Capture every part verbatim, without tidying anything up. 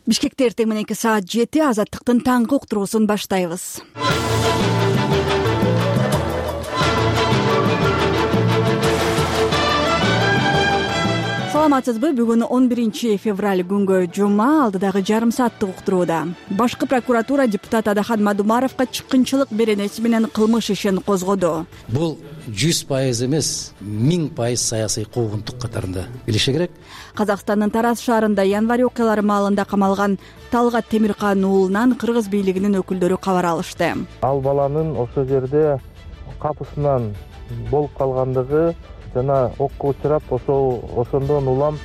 Бишкекте эртең мененки саат жети Азаттыктын таңкы уктуруусун баштайбыз. Саламатсызбы? Бүгүн он биринчи февраль күнгө жума, алдыдагы жарым сааттык уктурууда. Башкы прокуратура депутат Адахан Мадумаровго чыккынчылык беренеси менен кылмыш ишин козгоду. Бул жүз пайыз эмес, миң пайыз саясий куугунтук катарында билиши керек. Казакстандын Тараз шаарында январь окуялары маалында камалган Талгат Темиркан уулунан кыргыз бийлигинин өкүлдөрү кабар алышты. Ал баланын ошол жерде капысынан болуп калгандыгы жана окко учурап ошол ошондон улам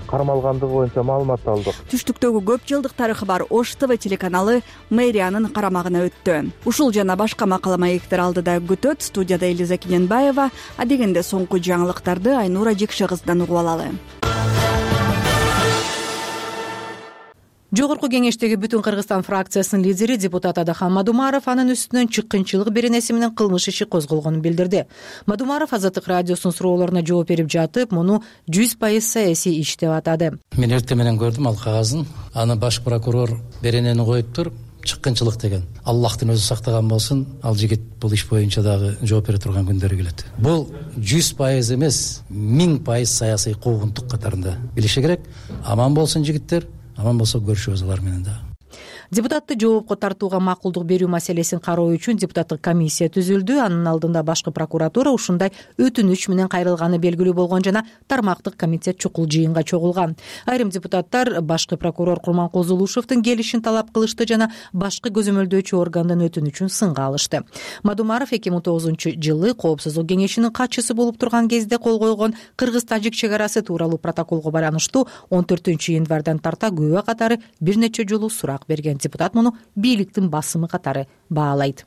кармалгандыгы боюнча маалымат алдык. Түштүктөгү көп жылдык тарыхы бар Ош ТВ телеканалы мэриянын карамагына өттү. Ушул жана башка макала маектер алдыда күтөт. Студияда Элиза Кененбаева. Адегенде соңку жаңылыктарды Айнура Жекше кызынан угуп алалы. Жогорку кеңештеги Бүтүн Кыргызстан фракциясынын лидери депутат Адахан Мадумаров анын үстүнөн чыккынчылык беренеси менен кылмыш иши козголгонун билдирди. Мадумаров Азаттык радиосунун суроолоруна жооп берип жатып, муну жүз пайыз саясий иш деп атады. Мен эртең менен көрдүм ал кагазын. Аны баш прокурор беренени коюптур, чыккынчылык деген. Аллахтын өзү сактаган болсун, ал жигит бул иш боюнча дагы жооп бере турган күндөрү келет. Бул жүз пайыз эмес, миң пайыз саясий куугунтук катарында билиши керек. Аман болсун жигиттер. Аман болсо көрүшөбүз алар менен да. Депутатты жоопко тартууга макулдук берүү маселесин кароо үчүн депутаттык комиссия түзүлдү. Анын алдында башкы прокуратура ушундай өтүнүч менен кайрылганы белгилүү болгон жана тармактык комитет чукул жыйынга чогулган. Айрым депутаттар башкы прокурор Курманкозу Улушевдин келишин талап кылышты жана башкы көзөмөлдөөчү органдын өтүнүчүн сынга алышты. Мадумаров эки миң тогузунчу жылы Коопсуздук кеңешинин катчысы болуп турган кезде кол койгон Кыргыз-Тажик чек арасы тууралуу протоколго байланыштуу он төртүнчү январдан тарта күбө катары бир нече жолу сурак берген. Депутат муну бийликтин басымы катары баалайт.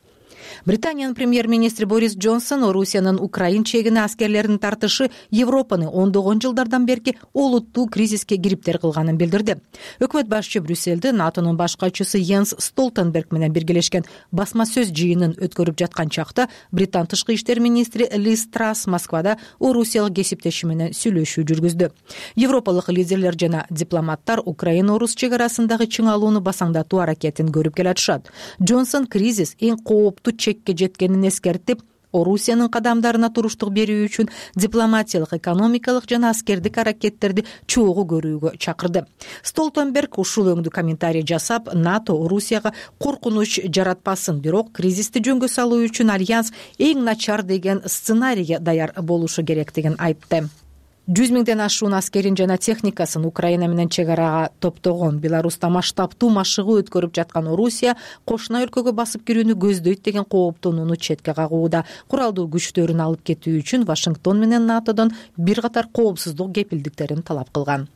Британиянын премьер-министри Борис Джонсон Орусиянын Украин чегине аскерлерин тартышы Европаны ондогон жылдардан берки олуттуу кризиске кириптер кылганын билдирди. Өкмөт башчы Брюссельде НАТОнун баш катчысы Йенс Столтенберг менен биргелешкен басма сөз жыйынын өткөрүп жаткан чакта Британ тышкы иштер министри Лиз Трасс Москвада орусиялык кесиптеши менен сүйлөшүү жүргүздү. Европалык лидерлер жана дипломаттар Украина-Орус чек арасындагы чыңалууну басаңдатуу аракетин көрүп келатышат. Джонсон кризис эң кооптуу чекке жеткенин эскертип, Орусиянын кадамдарына туруштук берүү үчүн дипломатиялык, экономикалык жана аскердик аракеттерди чогуу көрүүгө чакырды. Столтенберг ушул өңдүү комментарий жасап, НАТО Орусияга коркунуч жаратпасын, бирок кризисти жөнгө салуу үчүн альянс эң начар деген сценарийге даяр болушу керектигин айтты. жүз миңден ашуун аскерин жана техникасын Украина менен чек арага топтогон. Беларуста масштабтуу машыгуу өткөрүп жаткан Орусия кошуна өлкөгө басып кирүүнү көздөйт деген кооптонууну четке кагууда. Куралдуу күчтөрүн алып кетүү үчүн Вашингтон менен НАТОдон бир катар коопсуздук кепилдиктерин талап кылган.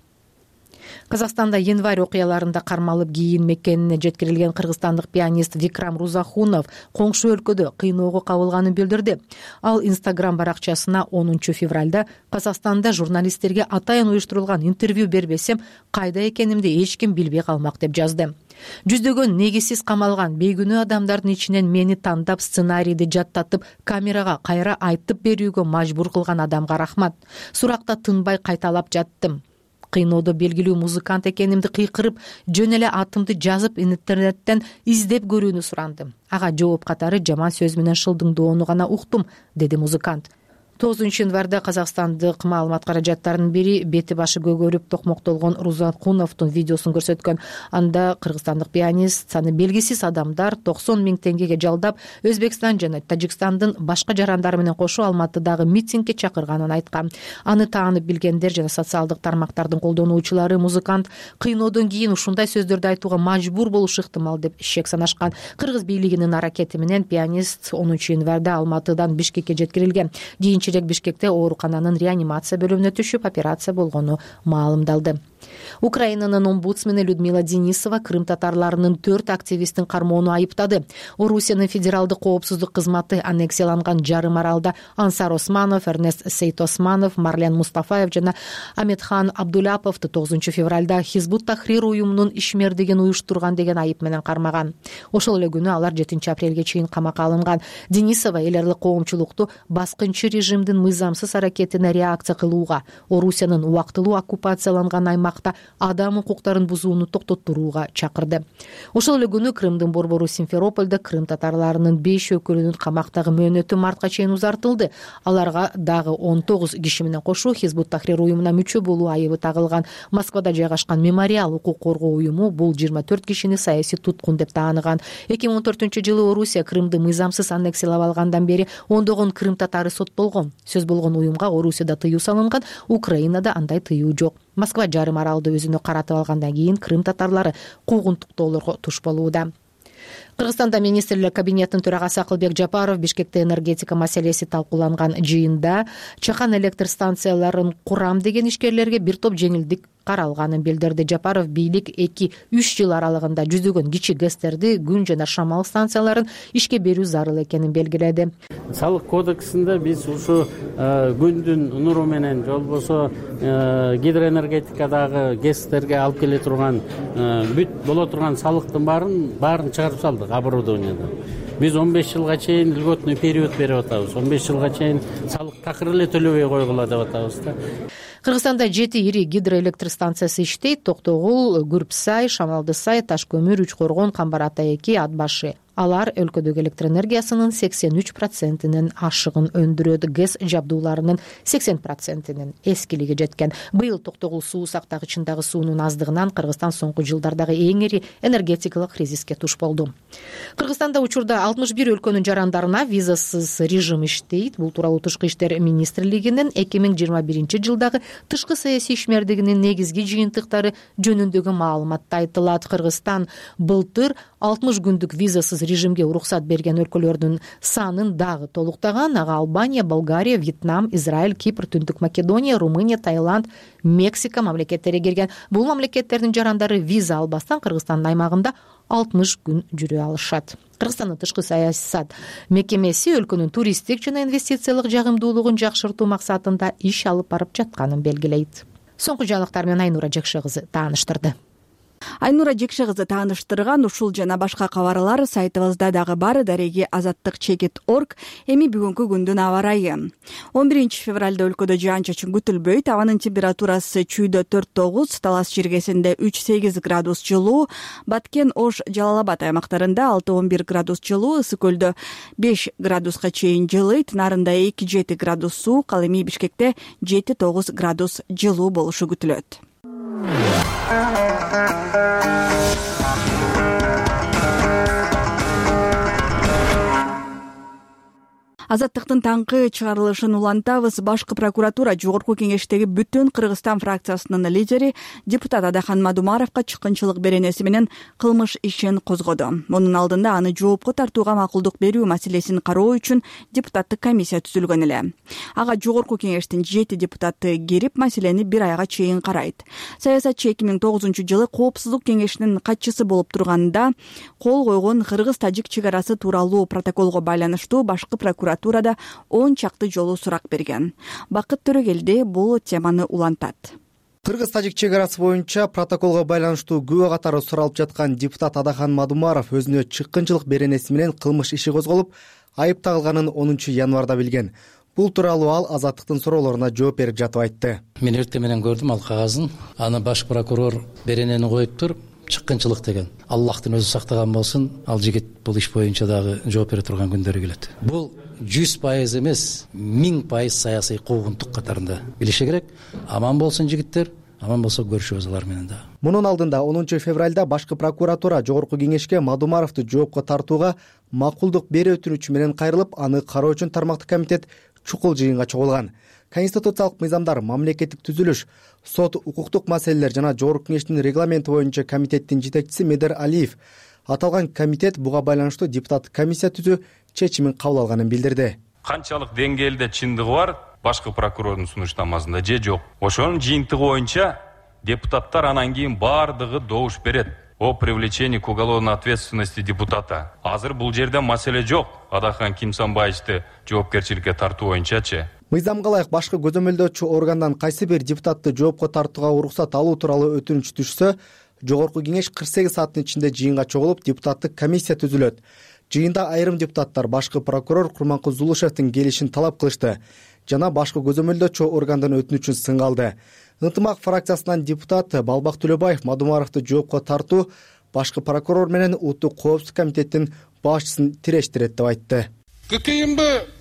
Казакстанда январь окуяларында кармалып кийин мекенине жеткирилген кыргызстандык пианист Викрам Рузахунов коңшу өлкөдө кыйноого кабылганын билдирди. Ал Инстаграм баракчасына онунчу февралда Казакстанда журналисттерге атайын уюштурулган интервью бербесем, кайда экенимди эч ким билбей калмак деп жазды. Жүздөгөн негизсиз камалган бейгүнөө адамдардын ичинен мени тандап сценарийди жаттатып камерага кайра айтып берүүгө мажбур кылган адамга рахмат. Суракта тынбай кайталап жаттым. Кыйноодо белгилүү музыкант экенимди кыйкырып, жөн эле атымды жазып интернеттен издеп көрүүнү сурандым. Ага жооп катары жаман сөз менен шылдыңдоону гана уктум, деди музыкант. тогузунчу январда казакстандык маалымат каражаттарынын бири бети башы көгөрүп токмоктолгон Рузахуновдун видеосун көрсөткөн. Анда кыргызстандык пианист саны белгисиз адамдар токсон миң теңгеге жалдап Өзбекстан жана Тажикстандын башка жарандары менен кошо Алматыдагы митингге чакырганын айткан. Аны таанып билгендер жана социалдык тармактардын колдонуучулары музыкант кыйноодон кийин ушундай сөздөрдү айтууга мажбур болушу ыктымал деп шек санашкан. Кыргыз бийлигинин аракети менен пианист онунчу январда Алматыдан Бишкекке жеткирилген. Кийинчерээк Бишкекте оорукананын реанимация бөлүмүнө түшүп операция болгону маалымдалды. Украинанын омбудсмени Людмила Денисова Крым татарларынын төрт активистин кармоону айыптады. Орусиянын федералдык коопсуздук кызматы аннексияланган жарым аралда Ансар Османов, Эрнест Сейт Османов, Марлен Мустафаев жана Аметхан Абдуляповду тогузунчу февралда Хизбут Тахрир уюмунун ишмердигин уюштурган деген айып менен кармаган. Ошол эле күнү алар жетинчи апрелге чейин камакка алынган. Денисова эл аралык коомчулукту баскынчы режимдин мыйзамсыз аракетине реакция кылууга, Орусиянын убактылуу оккупацияланган аймак аймакта адам укуктарын бузууну токтотурууга чакырды. Ошол эле күнү Крымдын борбору Симферопольдо крым татарларынын беш өкүлүнүн камактагы мөөнөтү мартка чейин узартылды. Аларга дагы он тогуз киши менен кошо Хизбут Тахрир уюмуна мүчө болуу айыбы тагылган. Москвада жайгашкан Мемориал укук коргоо уюму бул жыйырма төрт кишини саясий туткун деп тааныган. эки миң он төртүнчү жылы Орусия Крымды мыйзамсыз аннексиялап алгандан бери ондогон крым татары соттолгон. Сөз болгон уюмга Орусияда тыюу салынган, Украинада андай тыюу жок. Москва жарым аралды өзүнө каратып алгандан кийин крым татарлары куугунтуктоолорго туш болууда. Кыргызстанда министрлер кабинетинин төрагасы Акылбек Жапаров Бишкекте энергетика маселеси талкууланган жыйында чакан электр станцияларын курам деген ишкерлерге бир топ жеңилдик каралганын билдирди. Жапаров бийлик эки үч жыл аралыгында жүзөгөн кичи ГЭСтерди, күн жана шамал станцияларын ишке берүү зарыл экенин белгиледи. Салык кодексинде биз ушу күндүн нуру менен же болбосо гидроэнергетикадагы ГЭСтерге алып келе турган бүт боло турган салыктын баарын баарын чыгарып салдык оборудованияда. Биз он беш жылга чейин льготный период берип атабыз. он беш жылга чейин салык такыр эле төлөбөй койгула деп атабыз да. Кыргызстанда жети ири гидроэлектр станциясы иштейт. Токтогул, Күрпсай, Шамалдысай, Ташкөмүр, Үчкоргон, Камбар Ата эки, Ат башы. Алар өлкөдөгү электр энергиясынын сексен үч процентинин ашыгын өндүрөт. ГЭС жабдууларынын сексен процентинин эскилиги жеткен. Быйыл Токтогул суу сактагычындагы суунун аздыгынан Кыргызстан соңку жылдардагы эң ири энергетикалык кризиске туш болду. Кыргызстанда учурда алтымыш бир өлкөнүн жарандарына визасыз режим иштейт. Бул тууралуу Тышкы иштер министрлигинин эки миң жыйырма биринчи жылдагы тышкы саясий ишмердигинин негизги жыйынтыктары жөнүндөгү маалыматта айтылат. Кыргызстан былтыр алтымыш күндүк визасыз режимге уруксат берген өлкөлөрдүн санын дагы толуктаган. Ага Албания, Болгария, Вьетнам, Израиль, Кипр, Түндүк Македония, Румыния, Таиланд, Мексика мамлекеттери кирген. Бул мамлекеттердин жарандары виза албастан Кыргызстандын аймагында алтымыш күн жүрө алышат. Кыргызстандын тышкы саясат мекемеси өлкөнүн туристтик жана инвестициялык жагымдуулугун жакшыртуу максатында иш алып барып жатканын белгилейт. Соңку жаңылыктар менен Айнура Жекше кызы тааныштырды. Айнура Жекше кызы тааныштырган ушул жана башка кабарлар сайтыбызда дагы бар. Дареги азаттык чекит точка орг. Эми бүгүнкү күндүн аба ырайы. он биринчи февралда өлкөдө жаан-чачын күтүлбөйт. Абанын температурасы чүйдө төрт тогуз, Талас жергесинде үч сегиз градус жылуу, Баткен, Ош, Жалал Абад аймактарында алты он бир градус жылуу, Ысык көлдө беш градуска чейин жылыйт, Нарында эки жети градус суук, ал эми Бишкекте жети тогуз градус жылуу болушу күтүлөт. Азаттыктын таңкы чыгарылышын улантабыз. Башкы прокуратура Жогорку кеңештеги Бүтүн Кыргызстан фракциясынын лидери депутат Адахан Мадумаровго чыккынчылык беренеси менен кылмыш ишин козгоду. Мунун алдында аны жоопко тартууга макулдук берүү маселесин кароо үчүн депутаттык комиссия түзүлгөн эле. Ага Жогорку кеңештин жети депутаты кирип, маселени бир айга чейин карайт. Саясатчы эки миң тогузунчу жылы Коопсуздук кеңешинин катчысы болуп турганда кол койгон кыргыз-тажик чек арасы тууралуу протоколго байланыштуу башкы прокуратура Турада он чакты жолу сурак берген. Бакыт Төрөгелди бул теманы улантат. Кыргыз-тажик чек арасы боюнча протоколго байланыштуу күбө катары суралып жаткан депутат Адахан Мадумаров өзүнө чыккынчылык беренеси менен кылмыш иши козголуп, айып тагылганын онунчу январда билген. Бул тууралуу ал Азаттыктын суроолоруна жооп берип жатып айтты. Мен эртең менен көрдүм ал кагазын. Аны баш прокурор беренени коюп туруп, чыккынчылык деген. Аллахтын өзү сактаган болсун, ал жигит бул иш боюнча дагы жооп бере турган күндөрү келет. Бул жүз пайыз эмес, миң пайыз саясий куугунтук катарында билиши керек. Аман болсун жигиттер, аман болсо көрүшөбүз алар менен да. Мунун алдында онунчу февралда башкы прокуратура Жогорку кеңешке Мадумаровду жоопко тартууга макулдук берүү өтүнүчү менен кайрылып, аны кароо үчүн тармактык комитет чукул жыйынга чогулган. Конституциялык мыйзамдар, мамлекеттик түзүлүш, сот, укуктук маселелер жана Жогорку кеңештин регламенти боюнча комитеттин жетекчиси Медер Алиев аталган комитет буга байланыштуу депутаттык комиссия түзүү чечимин кабыл алганын билдирди. Канчалык деңгээлде чындыгы бар башкы прокурордун сунуштамасында же жок. Ошонун жыйынтыгы боюнча депутаттар анан кийин баардыгы добуш берет о привлечении к уголовной ответственности депутата. Азыр бул жерде маселе жок. Адахан Кимсанбаевди жоопкерчиликке тартуу боюнчачы. Мыйзамга ылайык башкы көзөмөлдөөчү органдан кайсы бир депутатты жоопко тартууга уруксат алуу тууралуу өтүнүч түшсө, Жогорку кеңеш кырк сегиз сааттын ичинде жыйынга чогулуп, депутаттык комиссия түзүлөт. Жыйында айрым депутаттар башкы прокурор Курманкул Зулушевдин келишин талап кылышты жана башкы көзөмөлдөөчү органдан өтүнүчүн сынга алды. Ынтымак фракциясынан депутат Балбак Төлөбаев Мадумаровду жоопко тартуу башкы прокурор менен Улуттук коопсуздук комитетинин башчысын тирештирет деп айтты. ККМБ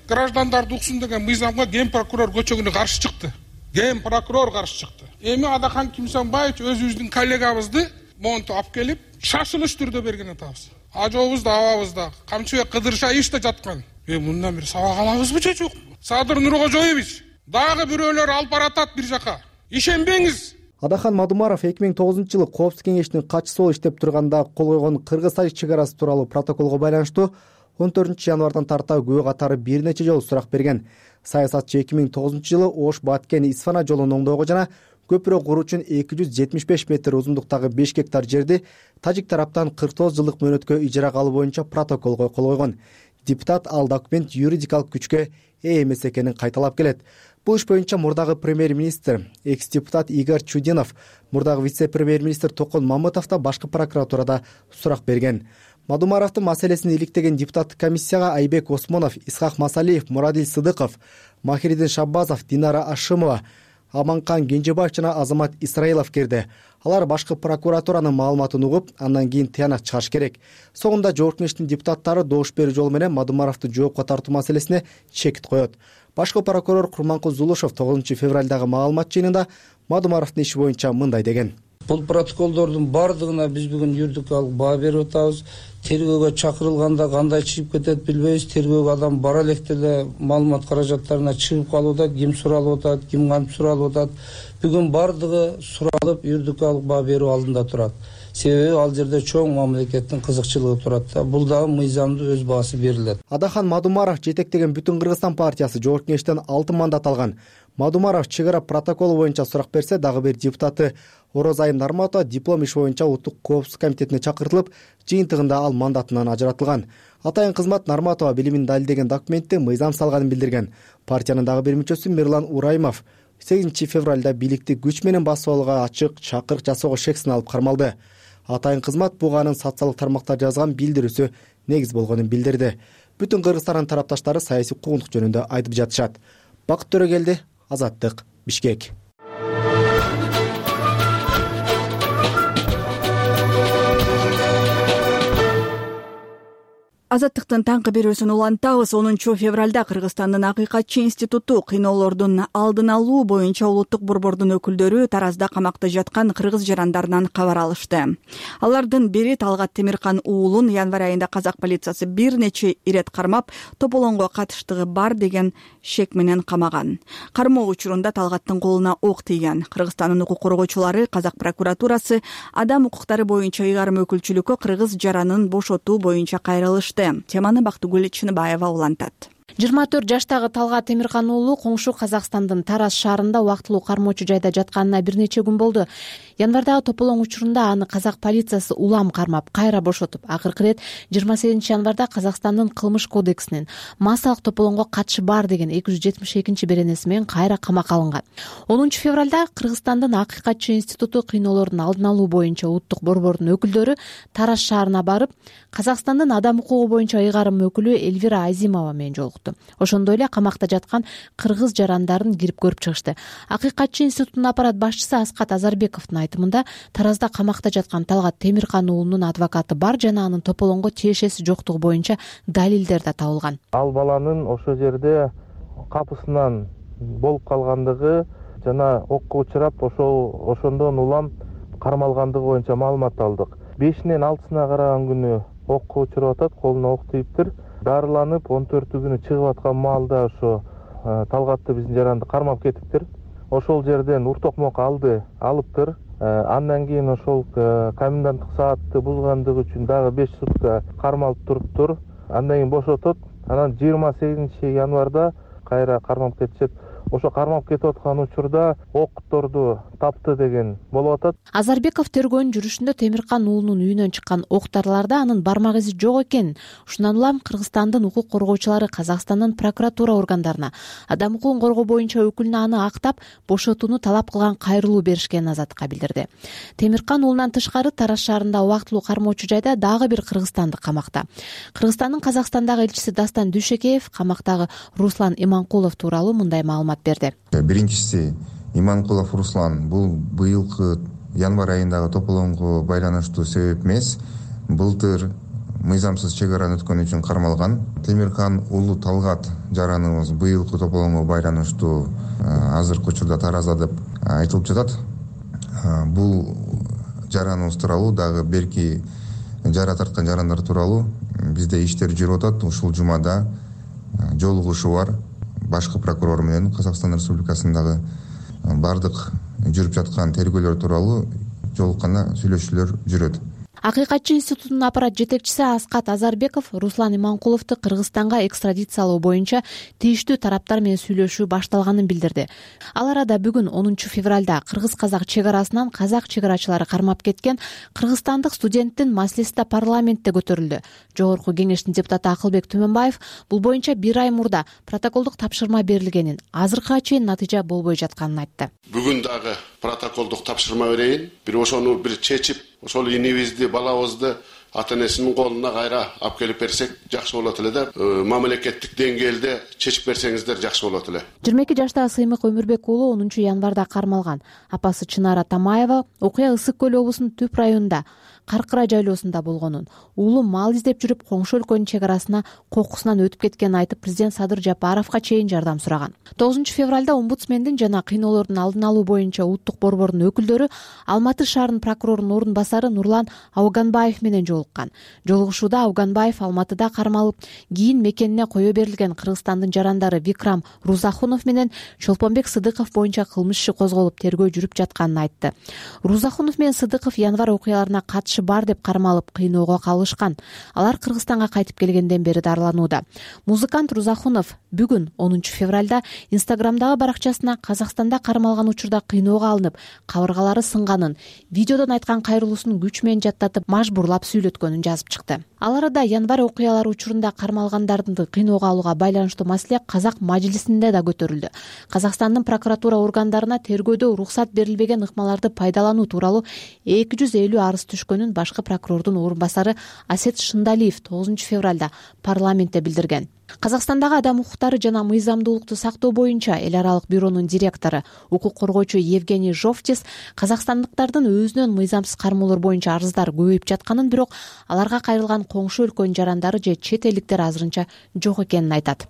граждандарды уксун деген мыйзамга ген прокурор көчөгүнө каршы чыкты. Ген прокурор каршы чыкты. Эми Адахан Кимсанбаевич өзүбүздүн коллегабызды монтип алып келип, шашылыш түрдө берген атабыз. Ажообуз да абабыз да Камчыбек Кыдыршаевич да жаткан. Э мындан бир сабак алабызбы же жокпу? Садыр Нуркожоевич дагы бирөөлөр алып баратат бир жака. Ишенбеңиз. Адахан Мадумаров эки миң тогузунчу жылы Коопсуздук кеңешинин катчысы болуп иштеп турганда кол койгон Кыргыз-Тажик чек арасы тууралуу протоколго байланыштуу он төртүнчү январдан тарта күбө катары бир нече жолу сурак берген. Саясатчы эки миң тогузунчу жылы Ош Баткен Исфана жолун оңдоого жана көпүрө куруу үчүн эки жүз жетимиш беш метр узундуктагы беш гектар жерди тажик тараптан кырк тогуз жылдык мөөнөткө ижарага алуу боюнча протоколго кол койгон. Депутат ал документ юридикалык күчкө ээ эмес экенин кайталап келет. Бул иш боюнча мурдагы премьер-министр, экс-депутат Игорь Чудинов, мурдагы вице-премьер-министр Токон Мамытов да башкы прокуратурада сурак берген. Мадумаровдун маселесин иликтеген депутаттык комиссияга Айбек Осмонов, Исхак Масалиев, Мурадил Сыдыков, Махиридин Шаббазов, Динара Ашымова, Аманкан Кенжебаев жана Азамат Исраилов кирди. Алар башкы прокуратуранын маалыматын угуп, андан кийин тыянак чыгыш керек. Соңунда жогорку кеңештин депутаттары добуш берүү жолу менен Мадумаровду жоопко тартуу маселесине чекит коет. Башкы прокурор Курманкул Зулушев тогузунчу февралдагы маалымат жыйынында Мадумаровдун иши боюнча мындай деген. Бул протоколдордун бардыгына биз бүгүн юридикалык баа берип атабыз. Тергөөгө чакырылганда кандай чыгып кетет билбейбиз. Тергөөгө адам бара электе эле маалымат каражаттарына чыгып калууда, ким суралып атат, ким кантип суралып атат. Бүгүн бардыгы суралып юридикалык баа берүү алдында турат. Себеби ал жерде чоң мамлекеттин кызыкчылыгы турат да. Бул дагы мыйзамдуу өз баасы берилет. Адахан Мадумаров жетектеген Бүтүн Кыргызстан партиясы жогорку кеңештен алты мандат алган. Мадумаров чек ара протоколу боюнча сурак берсе, дагы бир депутаты Орозайым Нарматова диплом иши боюнча Улуттук коопсуздук комитетине чакыртылып, жыйынтыгында ал мандатынан ажыратылган. Атайын кызмат Нарматова билимин далилдеген документте мыйзам салганын билдирген. Партиянын дагы бир мүчөсү Мирлан Ураймов сегизинчи февралда бийликти күч менен басып алууга ачык чакырык жасоого шексин алып кармалды. Атайын кызмат буга анын социалдык тармактарда жазган билдирүүсү негиз болгонун билдирди. Бүтүн Кыргызстандын тарапташтары саясий куугунтук жөнүндө айтып жатышат. Бакыт Төрөгелди, Азаттык, Бишкек. Азаттыктын таңкы берүүсүн улантабыз. онунчу февралда Кыргызстандын Акыйкатчы институту кыйноолордун алдын алуу боюнча улуттук борбордун өкүлдөрү Таразда камакта жаткан кыргыз жарандарынан кабар алышты. Алардын бири Талгат Темиркан уулун январь айында казак полициясы бир нече ирет кармап, тополоңго катыштыгы бар деген шек менен камаган. Кармоо учурунда Талгаттын колуна ок тийген. Кыргызстандын укук коргоочулары казак прокуратурасы адам укуктары боюнча ыйгарым өкүлчүлүккө кыргыз жаранын бошотуу боюнча кайрылышты. Теманы Бактыгүл Чыныбаева улантат. жыйырма төрт жаштагы Талгат Темиркан уулу коңшу Казакстандын Тараз шаарында убактылуу кармоочу жайда жатканына бир нече күн болду. Январдагы тополоң учурунда аны казак полициясы улам кармап, кайра бошотуп, акыркы ирет жыйырма сегизинчи январда Казакстандын кылмыш кодексинин массалык тополоңго катышы бар деген эки жүз жетимиш экинчи беренеси менен кайра камакка алынган. онунчу февралда Кыргызстандын Акыйкатчы институту кыйноолордун алдын алуу боюнча улуттук борбордун өкүлдөрү Тараз шаарына барып, Казакстандын адам укугу боюнча ыйгарым өкүлү Эльвира Азимова менен жолукту. Ошондой эле камакта жаткан кыргыз жарандарын кирип көрүп чыгышты. Акыйкатчы институтунун аппарат башчысы Аскат Азарбековдун айтымында, Таразда камакта жаткан Талгат Темиркан уулунун адвокаты бар жана анын тополоңго тиешеси жоктугу боюнча далилдер да табылган. Ал баланын ошол жерде капысынан болуп калгандыгы жана окко учурап, ошол ошондон улам кармалгандыгы боюнча маалымат алдык. бешинен алтысына караган күнү окко учуруп атат, колуна ок тийиптир. Дарыланып он төртү күнү чыгып аткан маалда ошо Талгатты биздин жаранды кармап кетиптир. Ошол жерден ур токмок алды, алыптыр. Андан кийин ошол коменданттык саатты бузгандыгы үчүн дагы беш сутка кармалып туруптур. Андан кийин бошотот. Анан жыйырма сегизинчи январда кайра кармап кетишет. Ошо кармап кетип аткан учурда окторду тапты деген болуп атат. Азарбеков тергөөнүн жүрүшүндө Темиркан уулунун үйүнөн чыккан октарларда анын бармак изи жок экен. Ушундан улам Кыргызстандын укук коргоочулары Казакстандын прокуратура органдарына адам укугун коргоо боюнча өкүлүнө аны актап, бошотууну талап кылган кайрылуу беришкенин Азаттыкка билдирди. Темиркан уулунан тышкары Тараз шаарында убактылуу кармоочу жайда дагы бир кыргызстандык камакта. Кыргызстандын Казакстандагы элчиси Дастан Дүйшекеев камактагы Руслан Иманкулов тууралуу мындай маалымат берди. Биринчиси Иманкулов Руслан бул быйылкы январь айындагы тополоңго байланыштуу себеп эмес. Былтыр мыйзамсыз чек араны өткөн үчүн кармалган. Темирхан уулу Талгат жараныбыз быйылкы тополоңго байланыштуу азыркы учурда таразда деп айтылып жатат. Бул жараныбыз тууралуу дагы берки жара тарткан жарандар тууралуу бизде иштер жүрүп атат. Ушул жумада жолугушуу бар. Башкы прокурор менен Казакстан Республикасындагы бардык жүрүп жаткан тергөөлөр тууралуу жолукканда сүйлөшүүлөр жүрөт. Акыйкатчы институтунун аппарат жетекчиси Аскат Азарбеков Руслан Иманкуловду Кыргызстанга экстрадициялоо боюнча тийиштүү тараптар менен сүйлөшүү башталганын билдирди. Ал арада бүгүн онунчу февралда кыргыз-казак чек арасынан казак чек арачылары кармап кеткен кыргызстандык студенттин маселеси да парламентте көтөрүлдү. Жогорку кеңештин депутаты Акылбек Түмөнбаев бул боюнча бир ай мурда протоколдук тапшырма берилгенин, азыркыга чейин натыйжа болбой жатканын айтты. Бүгүн дагы протоколдук тапшырма берейин. Бир ошону бир чечип, ошол инибизди, балабызды ата энесинин колуна кайра алып келип берсек жакшы болот эле да. Мамлекеттик деңгээлде чечип берсеңиздер жакшы болот эле. жыйырма эки жаштагы Сыймык Өмүрбек уулу онунчу январда кармалган. Апасы Чынара Тамаева окуя Ысык көл облусунун Түп районунда Каркыра жайлоосунда болгонун, уулу мал издеп жүрүп коңшу өлкөнүн чек арасына кокусунан өтүп кеткенин айтып, президент Садыр Жапаровго чейин жардам сураган. тогузунчу февралда омбудсмендин жана кыйноолордун алдын алуу боюнча улуттук борбордун өкүлдөрү Алматы шаарынын прокурорунун орун басары Нурлан Ауганбаев менен жолуккан. Жолугушууда Ауганбаев Алматыда кармалып, кийин мекенине кое берилген Кыргызстандын жарандары Викрам Рузахунов менен Чолпонбек Сыдыков боюнча кылмыш иши козголуп, тергөө жүрүп жатканын айтты. Рузахунов менен Сыдыков январь окуяларына катышы бар деп кармалып, кыйноого калышкан. Алар Кыргызстанга кайтып келгенден бери дарыланууда. Музыкант Рузахунов бүгүн онунчу февралда Инстаграмдагы баракчасына Казакстанда кармалган учурда кыйноого алынып, кабыргалары сынганын, видеодон айткан кайрылуусун күч менен жаттатып, мажбурлап сүйлөткөнүн жазып чыкты. Ал арада январь окуялары учурунда кармалгандарды кыйноого алууга байланыштуу маселе Казак мажлисинде да көтөрүлдү. Казакстандын прокуратура органдарына тергөөдө уруксат берилбеген ыкмаларды пайдалануу тууралуу эки жүз элүү арыз түшкөнүн башкы прокурордун орун басары Асет Шындалиев тогузунчу февралда парламентте билдирген. Казакстандагы адам укуктары жана мыйзамдуулукту сактоо боюнча эл аралык бюронун директору, укук коргоочу Евгений Жовтис казакстандыктардын өзүнөн мыйзамсыз кармоолор боюнча арыздар көбөйүп жатканын, бирок аларга кайрылган коңшу өлкөнүн жарандары же чет элдиктер азырынча жок экенин айтат.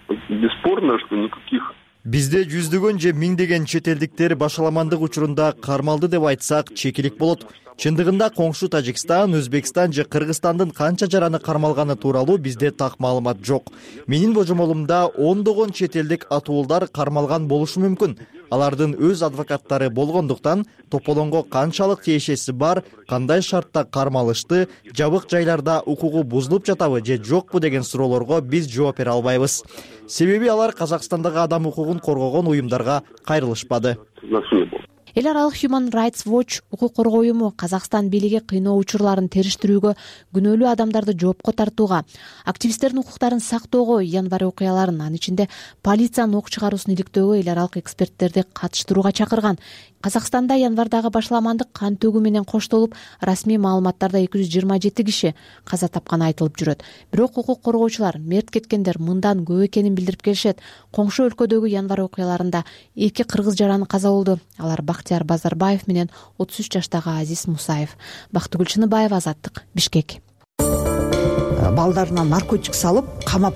Бесспорно, что никаких Бизде жүздөгөн же миңдеген чет элдиктер башаламандык учурунда кармалды деп айтсак чекилик болот. Чындыгында коңшу Тажикстан, Өзбекстан же Кыргызстандын канча жараны кармалганы тууралуу бизде так маалымат жок. Менин божомолумда ондогон чет элдик атуулдар кармалган болушу мүмкүн. Алардын өз адвокаттары болгондуктан тополоңго канчалык тиешеси бар, кандай шартта кармалышты, жабык жайларда укугу бузулуп жатабы же жокпу деген суроолорго биз жооп бере албайбыз. Себеби алар Казакстандагы адам укугун коргогон уюмдарга кайрылышпады. Эл аралык Human Rights Watch укук коргоо уюму Казакстан бийлиги кыйноо учурларын териштирүүгө, күнөөлүү адамдарды жоопко тартууга, активисттердин укуктарын сактоого, январь окуяларын, анын ичинде полициянын ок чыгаруусун иликтөөгө эл аралык эксперттерди катыштырууга чакырган. Казакстанда январдагы башаламандык кан төгүү менен коштолуп, расмий маалыматтарда эки жүз жыйырма жети киши каза тапканы айтылып жүрөт. Бирок укук коргоочулар мерт кеткендер мындан көп экенин билдирип келишет. Коңшу өлкөдөгү январь окуяларында эки кыргыз жараны каза болду. Алар Бактияр Базарбаев менен отуз үч жаштагы Азиз Мусаев. Бактыгүл Чыныбаева, Азаттык, Бишкек. Балдарына наркотик салып, камап,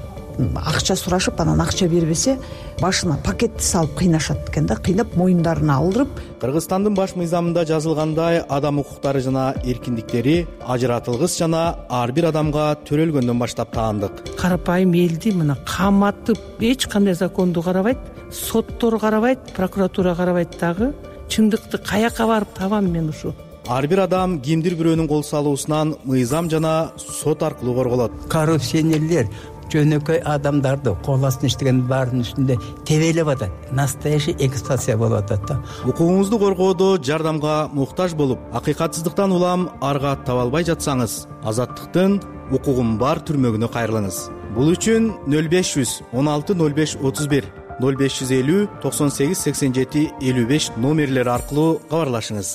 акча сурашып, анан акча бербесе, башына пакетти салып кыйнашат экен да, кыйнап моюндарына алдырып. Кыргызстандын баш мыйзамында жазылгандай, адам укуктары жана эркиндиктери ажыратылгыс жана ар бир адамга төрөлгөндөн баштап таандык. Карапайым элди мына каматып, эч кандай законду карабайт, соттор карабайт, прокуратура карабайт дагы. Чындыкты каяка барып табам мен ушу? Ар бир адам кимдир бирөөнүн кол салуусунан мыйзам жана сот аркылуу корголот. Коррупционерлер жөнөкөй адамдарды кол астына иштеген баарынын үстүндө тебелеп атат. Настоящий эксплуатация болуп атат да. Укугуңузду коргоодо жардамга муктаж болуп, акыйкатсыздыктан улам арга таба албай жатсаңыз, Азаттыктын укугум бар түрмөгүнө кайрылыңыз. Бул үчүн нөл беш жүз он алты нөл беш отуз бир нөл беш жүз элүү токсон сегиз сексен жети элүү беш номерлери аркылуу кабарлашыңыз.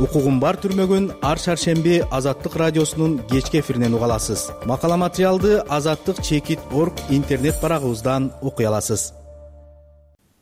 Укугум бар түрмөгүн ар шаршемби Азаттык радиосунун кечки эфиринен уга аласыз. Макала материалды азаттык чекит точка орг интернет барагыбыздан окуй аласыз.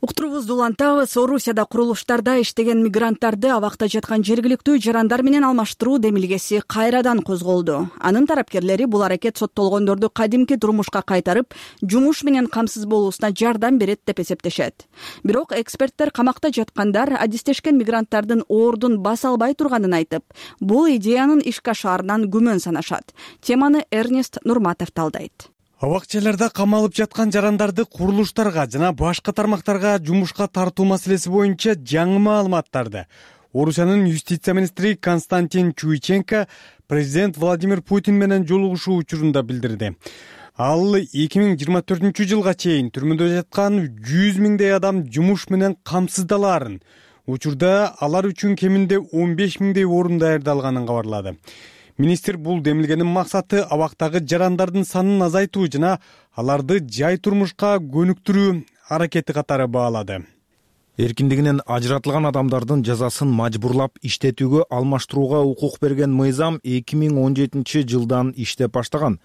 Уктуруубузду улантабыз. Орусияда курулуштарда иштеген мигранттарды абакта жаткан жергиликтүү жарандар менен алмаштыруу демилгеси кайрадан козголду. Анын тарапкерлери бул аракет соттолгондорду кадимки турмушка кайтарып, жумуш менен камсыз болуусуна жардам берет деп эсептешет. Бирок эксперттер камакта жаткандар адистешкен мигранттардын ордун баса албай турганын айтып, бул идеянын ишке ашаарынан күмөн санашат. Теманы Эрнест Нурматов талдайт. Абакчаларда камалып жаткан жарандарды курулуштарга жана башка тармактарга жумушка тартуу маселеси боюнча жаңы маалыматтарды Орусиянын юстиция министри Константин Чуйченко президент Владимир Путин менен жолугушуу учурунда билдирди. Ал эки миң жыйырма төртүнчү жылга чейин түрмөдө жаткан жүз миңдей адам жумуш менен камсыздалаарын, учурда алар үчүн кеминде он беш миңдей орун даярдалганын кабарлады. Министр бул демилгенин максаты абактагы жарандардын санын азайтуу жана аларды жай турмушка көнүктүрүү аракети катары баалады. Эркиндигинен ажыратылган адамдардын жазасын мажбурлап иштетүүгө алмаштырууга укук берген мыйзам эки миң он жетинчи жылдан иштеп баштаган.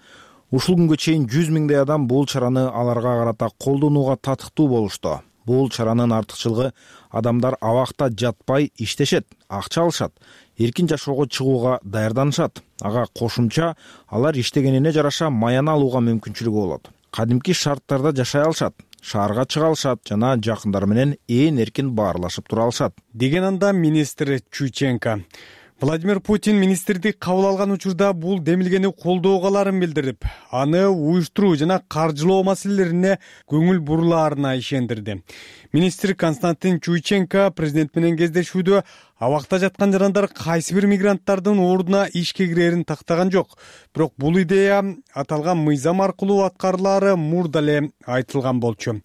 Ушул күнгө чейин жүз миңдей адам бул чараны аларга карата колдонууга татыктуу болушту. Бул чаранын артыкчылыгы адамдар абакта жатпай иштешет, акча алышат, эркин жашоого чыгууга даярданышат. Ага кошумча алар иштегенине жараша маяна алууга мүмкүнчүлүгү болот. Кадимки шарттарда жашай алышат, шаарга чыга алышат жана жакындары менен ээн эркин баарлашып тура алышат, деген анда министр Чуйченко. Владимир Путин министрди кабыл алган учурда бул демилгени колдоголарын билдирип, аны уюштуруу жана каржылоо маселелерине көңүл бурулаарына ишендирди. Министр Константин Чуйченко президент менен кездешүүдө абакта жаткан жарандар кайсы бир мигранттардын ордуна ишке кирерин тактаган жок. Бирок бул идея аталган мыйзам аркылуу аткарылаары мурда эле айтылган болчу.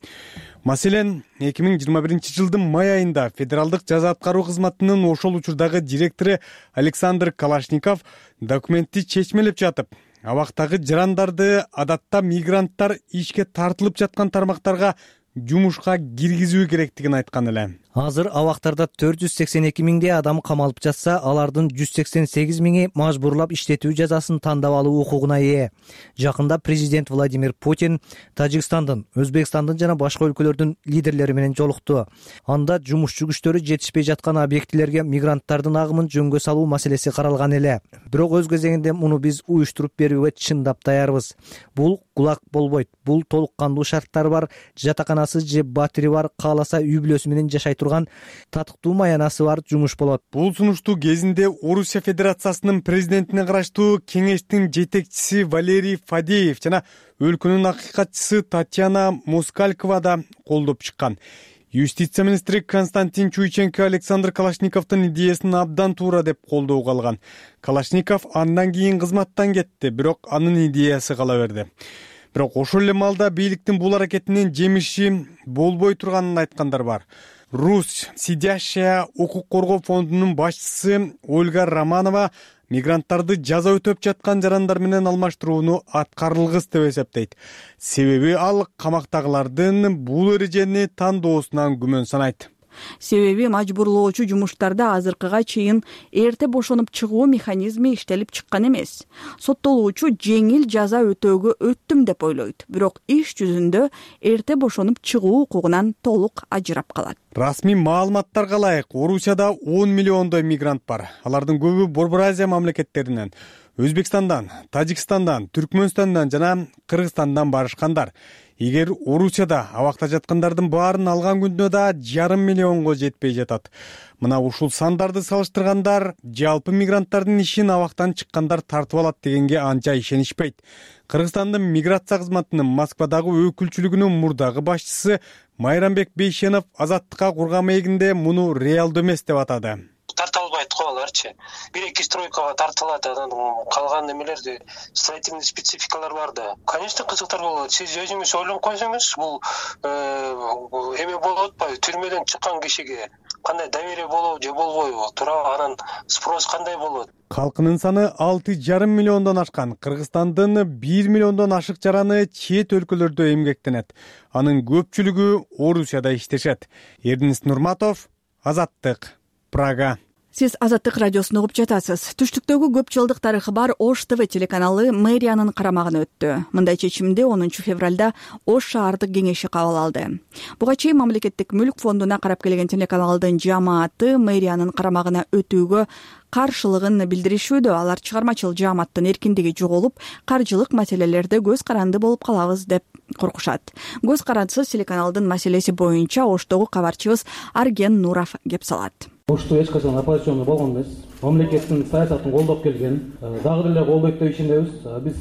Маселен, эки миң жыйырма биринчи жылдын май айында федералдык жаза аткаруу кызматынын ошол учурдагы директору Александр Калашников документти чечмелеп жатып, абактагы жарандарды адатта мигранттар ишке тартылып жаткан тармактарга жумушка киргизүү керектигин айткан эле. Азыр абактарда төрт жүз сексен эки миңдей адам камалып жатса, алардын жүз сексен сегиз миңи мажбурлап иштетүү жазасын тандап алуу укугуна ээ. Жакында президент Владимир Путин Тажикстандын, Өзбекстандын жана башка өлкөлөрдүн лидерлери менен жолукту. Анда жумушчу күчтөрү жетишпей жаткан объектилерге мигранттардын агымын жөнгө салуу маселеси каралган эле. Бирок өз кезегинде муну биз уюштуруп берүүгө чындап даярбыз. Бул кулак болбойт. Бул толук кандуу шарттары бар, жатаканасы же батири бар, кааласа үй бүлөсү менен жашай турган татыктуу маянасы бар жумуш болот. Бул сунуштуу кезинде Орусия Федерациясынын президентине караштуу кеңештин жетекчиси Валерий Фадеев жана өлкөнүн акыйкатчысы Татьяна Москалькова да колдоп чыккан. Юстиция министри Константин Чуйченко Александр Калашниковдун идеясын абдан туура деп колдоого алган. Калашников андан кийин кызматтан кетти, бирок анын идеясы кала берди. Бирок ошол эле маалда бийликтин бул аракетинин жемиши болбой турганын айткандар бар. Рус сидящая укук коргоо фондунун башчысы Ольга Романова мигранттарды жаза өтөп жаткан жарандар менен алмаштырууну аткарылгыс деп эсептейт. Себеби ал камактагылардын бул эрежени тандоосунан күмөн санайт. Себеби мажбурлоочу жумуштарда азыркыга чейин эрте бошонуп чыгуу механизми иштелип чыккан эмес. Соттолуучу жеңил жаза өтөөгө өттүм деп ойлойт, бирок иш жүзүндө эрте бошонуп чыгуу укугунан толук ажырап калат. Расмий маалыматтарга ылайык, Орусияда он миллиондой мигрант бар. Алардын көбү Борбор Азия мамлекеттеринен, Өзбекстандан, Тажикстандан, Түркмөнстандан жана Кыргызстандан барышкандар. Эгер Орусияда абакта жаткандардын баарын алган күндө да жарым миллионго жетпей жатат. Мына ушул сандарды салыштыргандар жалпы мигранттардын ишин абактан чыккандар тартып алат дегенге анча ишенишпейт. Кыргызстандын миграция кызматынын Москвадагы өкүлчүлүгүнүн мурдагы башчысы Майрамбек Бейшенов Азаттыкка курган маегинде муну реалдуу эмес деп атады. Тарта албайт го аларчы. Бир эки стройкага тартылат, анан калган немелерди строительный спецификалар бар да. Конечно, кызыктар болот. Сиз өзүңүз ойлонуп койсоңуз, бул эме болуп атпайбы? Түрмөдөн чыккан кишиге кандай доверие болобу же болбойбу? Туурабы, анан спрос кандай болот? Калкынын саны алты жарым миллиондон ашкан. Кыргызстандын бир миллиондон ашык жараны чет өлкөлөрдө эмгектенет. Анын көпчүлүгү Орусияда иштешет. Эрнест Нурматов, Азаттык, Прага. Сиз Азаттык радиосун угуп жатасыз. Түштүктөгү көп жылдык тарыхы бар Ош ТВ телеканалы мэриянын карамагына өттү. Мындай чечимди онунчу февралда Ош шаардык кеңеши кабыл алды. Буга чейин мамлекеттик мүлк фондуна карап келген телеканалдын жааматы мэриянын карамагына өтүүгө каршылыгын билдиришүүдө. Алар чыгармачыл жааматтын эркиндиги жоголуп, каржылык маселелерде көз каранды болуп калабыз деп коркушат. Көз карандысыз телеканалдын маселеси боюнча Оштогу кабарчыбыз Арген Нуров кеп салат. Ошту эч качан оппозициондо болгон эмес. Мамлекеттин саясатын колдоп келген, дагы деле колдойт деп ишенебиз. Биз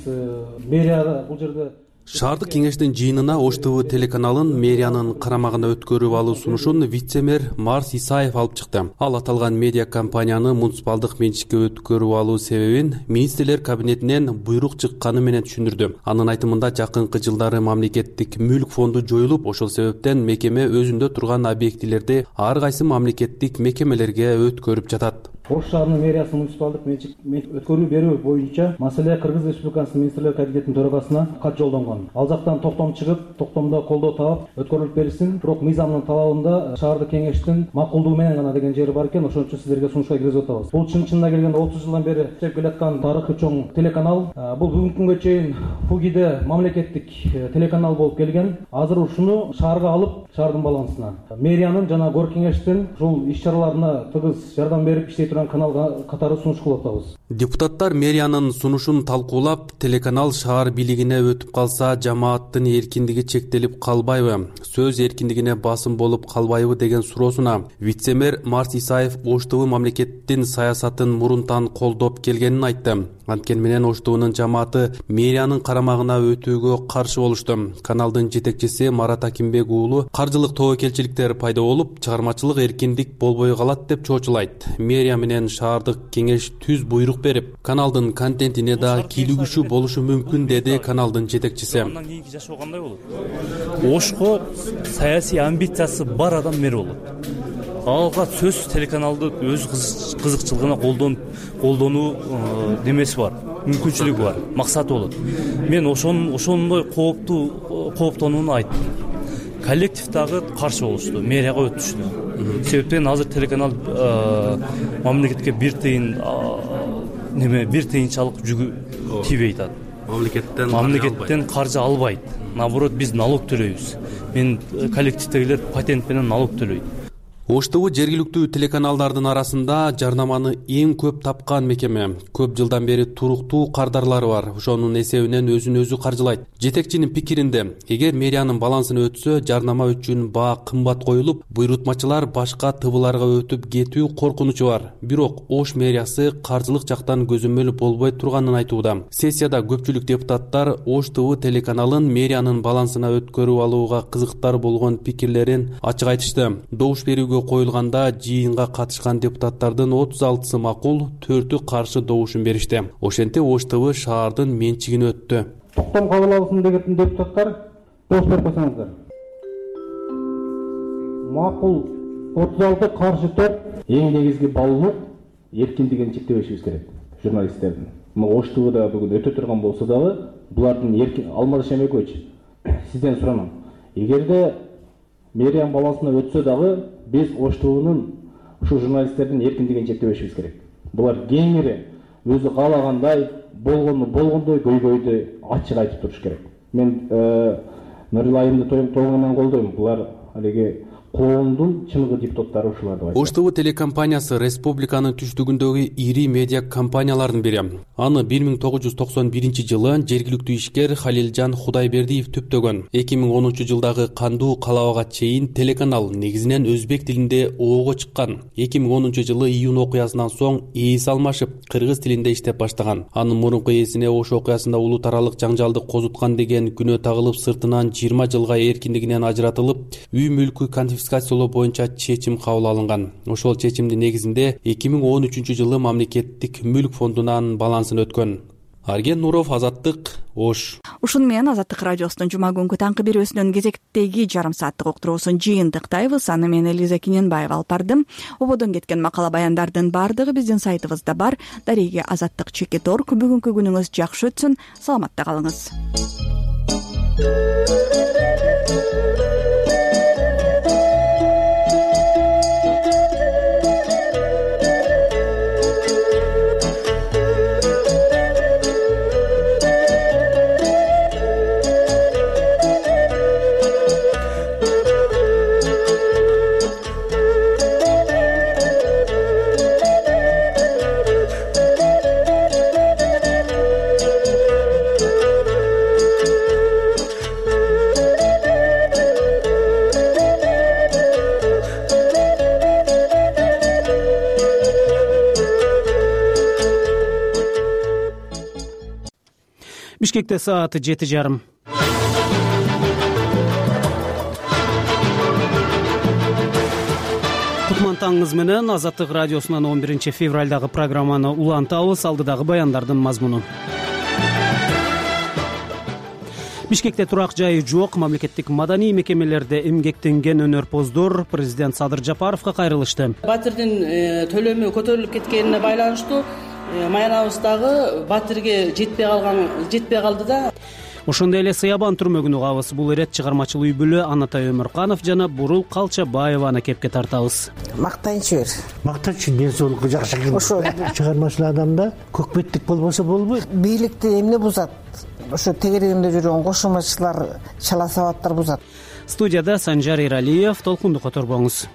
мэрияда бул жерде Шаардык кеңештин жыйынына Ош ТВ телеканалын мэриянын карамагына өткөрүп алуу сунушун вице-мэр Марс Исаев алып чыкты. Ал аталган медиа компанияны муниципалдык менчикке өткөрүп алуу себебин министрлер кабинетинен буйрук чыкканы менен түшүндүрдү. Анын айтымында жакынкы жылдары мамлекеттик мүлк фонду жоюлуп, ошол себептен мекеме өзүндө турган объектилерди ар кайсы мамлекеттик мекемелерге өткөрүп жатат. Ош шаарынын мэриясы муниципалдык менчик өткөрүү берүү боюнча маселе Кыргыз Республикасынын министрлер кабинетинин төрагасына кат жолдонгон. Ал жактан токтом чыгып, токтомдо колдоо таап өткөрүлүп берилсин. Бирок мыйзамдын талабында шаардык кеңештин макулдугу менен гана деген жери бар экен. Ошон үчүн сиздерге сунушка киргизип атабыз. Бул чын чынына келгенде отуз жылдан бери иштеп келаткан тарыхы чоң телеканал. Бул бүгүнкү күнгө чейин ФУГИде мамлекеттик телеканал болуп келген. Азыр ушуну шаарга алып, шаардын балансына мэриянын жана горк кеңештин ушул иш-чараларына тыгыз жардам берип иштей турган каналга катары сунуш кылып атабыз. Депутаттар мэриянын сунушун талкуулап, телеканал шаар бийлигине өтүп калса жамааттын эркиндиги чектелип калбайбы, сөз эркиндигине басым болуп калбайбы деген суроосуна вице-мэр Марс Исаев Ош ТВ мамлекеттин саясатын мурунтан колдоп келгенин айтты. Анткени менен Ош ТВнын жамааты мэриянын карамагына өтүүгө каршы болушту. Каналдын жетекчиси Марат Акимбек уулу каржылык тобокелчиликтер пайда болуп, чыгармачылык эркиндик болбой калат деп чоочулайт. Мэрия менен шаардык кеңеш түз буйрук берип, каналдын контентине да кийлигишүү болушу мүмкүн, деди каналдын жетекчиси. Андан кийинки жашоо кандай болот? Ошко саясий амбициясы бар адам мэр болот. Алга сөз телеканалды өз кызыкчылыгына колдонуп колдонуу демеси бар, мүмкүнчүлүгү бар, максаты болот. Мен ошон ошондой кооптуу кооптонууну айттым. Коллектив дагы каршы болушту, мэрияга өтүштү. Себептен азыр телеканал мамлекетке бир тыйын неме бир тыйынчалык жүгү тийбей атат. Мамлекеттен мамлекеттен каржы албайт. Наоборот, биз налог төлөйбүз. Мен коллективдегилер патент менен налог төлөйт. Ош ТВ жергиликтүү телеканалдардын арасында жарнаманы эң көп тапкан мекеме. Көп жылдан бери туруктуу кардарлары бар. Ошонун эсебинен өзүн өзү каржылайт. Жетекчинин пикиринде, эгер мэриянын балансына өтсө, жарнама үчүн баа кымбат коюлуп, буйрутмачылар башка ТВларга өтүп кетүү коркунучу бар. Бирок Ош мэриясы каржылык жактан көзөмөл болбой турганын айтууда. Сессияда көпчүлүк депутаттар Ош ТВ телеканалын мэриянын балансына өткөрүп алууга кызыктар болгон пикирлерин ачык айтышты. Добуш берүүгө коюлганда жыйынга катышкан депутаттардын отуз алтысы макул, төртү каршы добушун беришти. Ошентип Ош ТВ шаардын менчигине өттү. Токтом кабыл алсын деген депутаттар добуш берип койсоңуздар. Макул отуз алты, каршы төрт. Эң негизги баалуу эркиндигин чектебешибиз керек журналисттердин. Ош ТВда бүгүн өтө турган болсо дагы булардын эркин Алмаз Шемекович, сизден суранам. Эгерде мэриянын балансына өтсө дагы биз Ош ТВнын ушу журналисттердин эркиндигин чектебешибиз керек. Булар кеңири өзү каалагандай болгону болгондой, көйгөйдү ачык айтып туруш керек. Мен Нурил айымды толугу менен колдойм. Булар алиги коомдун чыныгы депутаттары ушулар деп айтат. Ош ТВ телекомпаниясы республиканын түштүгүндөгү ири медиа компаниялардын бири. Аны бир миң тогуз жүз токсон биринчи жылы жергиликтүү ишкер Халилжан Кудайбердиев түптөгөн. эки миң онунчу жылдагы кандуу калабага чейин телеканал негизинен өзбек тилинде оого чыккан. эки миң онунчу жылы июнь окуясынан соң ээс алмашып, кыргыз тилинде иштеп баштаган. Анын мурунку ээсине Ош окуясында улуу таралык жаңжалды козуткан деген күнөө тагылып, сыртынан жыйырма жылга эркиндигинен ажыратылып, үй мүлкү конфискациялоо боюнча чечим кабыл алынган. Ошол чечимдин негизинде эки миң он үчүнчү жылы мамлекеттик мүлк фондунан балансына өткөн. Арген Нуров, Азаттык, Ош. Ушун менен Азаттык радиосунун жума күнгү таңкы берүүсүнөн кезектеги жарым сааттык уктуруусун жыйынтыктайбыз. Аны мен Элиза Киненбаева алып бардым. Ободон кеткен макала баяндардын бардыгы биздин сайтыбызда бар. Дареги Азаттык чекит точка орг. Бүгүнкү күнүңүз жакшы өтсүн. Саламатта калыңыз. Бишкекте сааты жети жарым. Кутман таңыңыз менен Азаттык радиосунан он биринчи февралдагы программаны улантабыз. Алдыдагы баяндардын мазмуну. Бишкекте турак жайы жок, мамлекеттик маданий мекемелерде эмгектенген өнөрпоздор президент Садыр Жапаровго кайрылышты. Батирдин төлөмү көтөрүлүп кеткенине байланыштуу маянабыздагы батирге жетпей калган жетпей калды да. Ошондой эле Сыябан түрмөгүн угабыз. Бул ирет чыгармачыл үй бүлө Анатай Өмүрканов жана Бурул Калчабаеваны кепке тартабыз. Мактанчы бер. Мактанчы ден соолукку жакшы экен. Ошо чыгармачыл адамда көкметтик болбосо болбойт. Бийликти эмне бузат? Ошо тегерегинде жүргөн кошумачылар, чала сабаттар бузат. Студияда Санжар Иралиев, толкунду которбоңуз.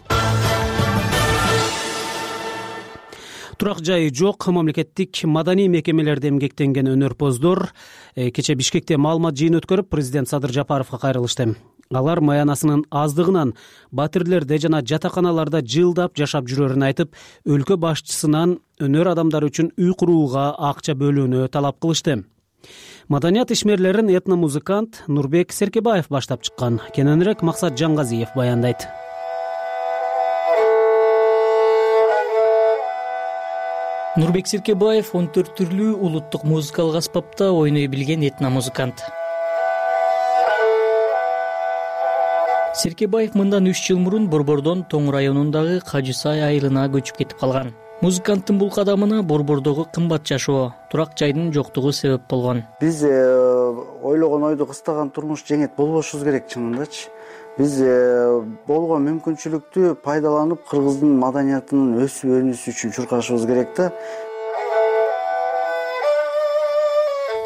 Турак жайы жок, мамлекеттик маданий мекемелерде эмгектенген өнөрпоздор кече Бишкекте маалымат жыйын өткөрүп, президент Садыр Жапаровго кайрылышты. Алар маянасынын аздыгынан батирлерде жана жатаканаларда жылдап жашап жүрөрүн айтып, өлкө башчысынан өнөр адамдары үчүн үй курууга акча бөлүүнү талап кылышты. Маданият ишмерлерин этномузыкант Нурбек Серкебаев баштап чыккан. Кененирээк Максат Жаңгазиев баяндайт. Нурбек Серкебаев он төрт түрлүү улуттук музыкалык аспапта ойной билген этномузыкант. Серкебаев мындан үч жыл мурун Борбордон Тоң районундагы Кажы Сай айылына көчүп кетип калган. Музыканттын бул кадамына Борбордогу кымбат жашоо, турак жайдын жоктугу себеп болгон. Биз ойлогон ойду кыстаган турмуш жеңет болбошубуз керек чынындачы. Биз болгон мүмкүнчүлүктү пайдаланып кыргыздын маданиятынын өсүп өнүшү үчүн чуркашыбыз керек да.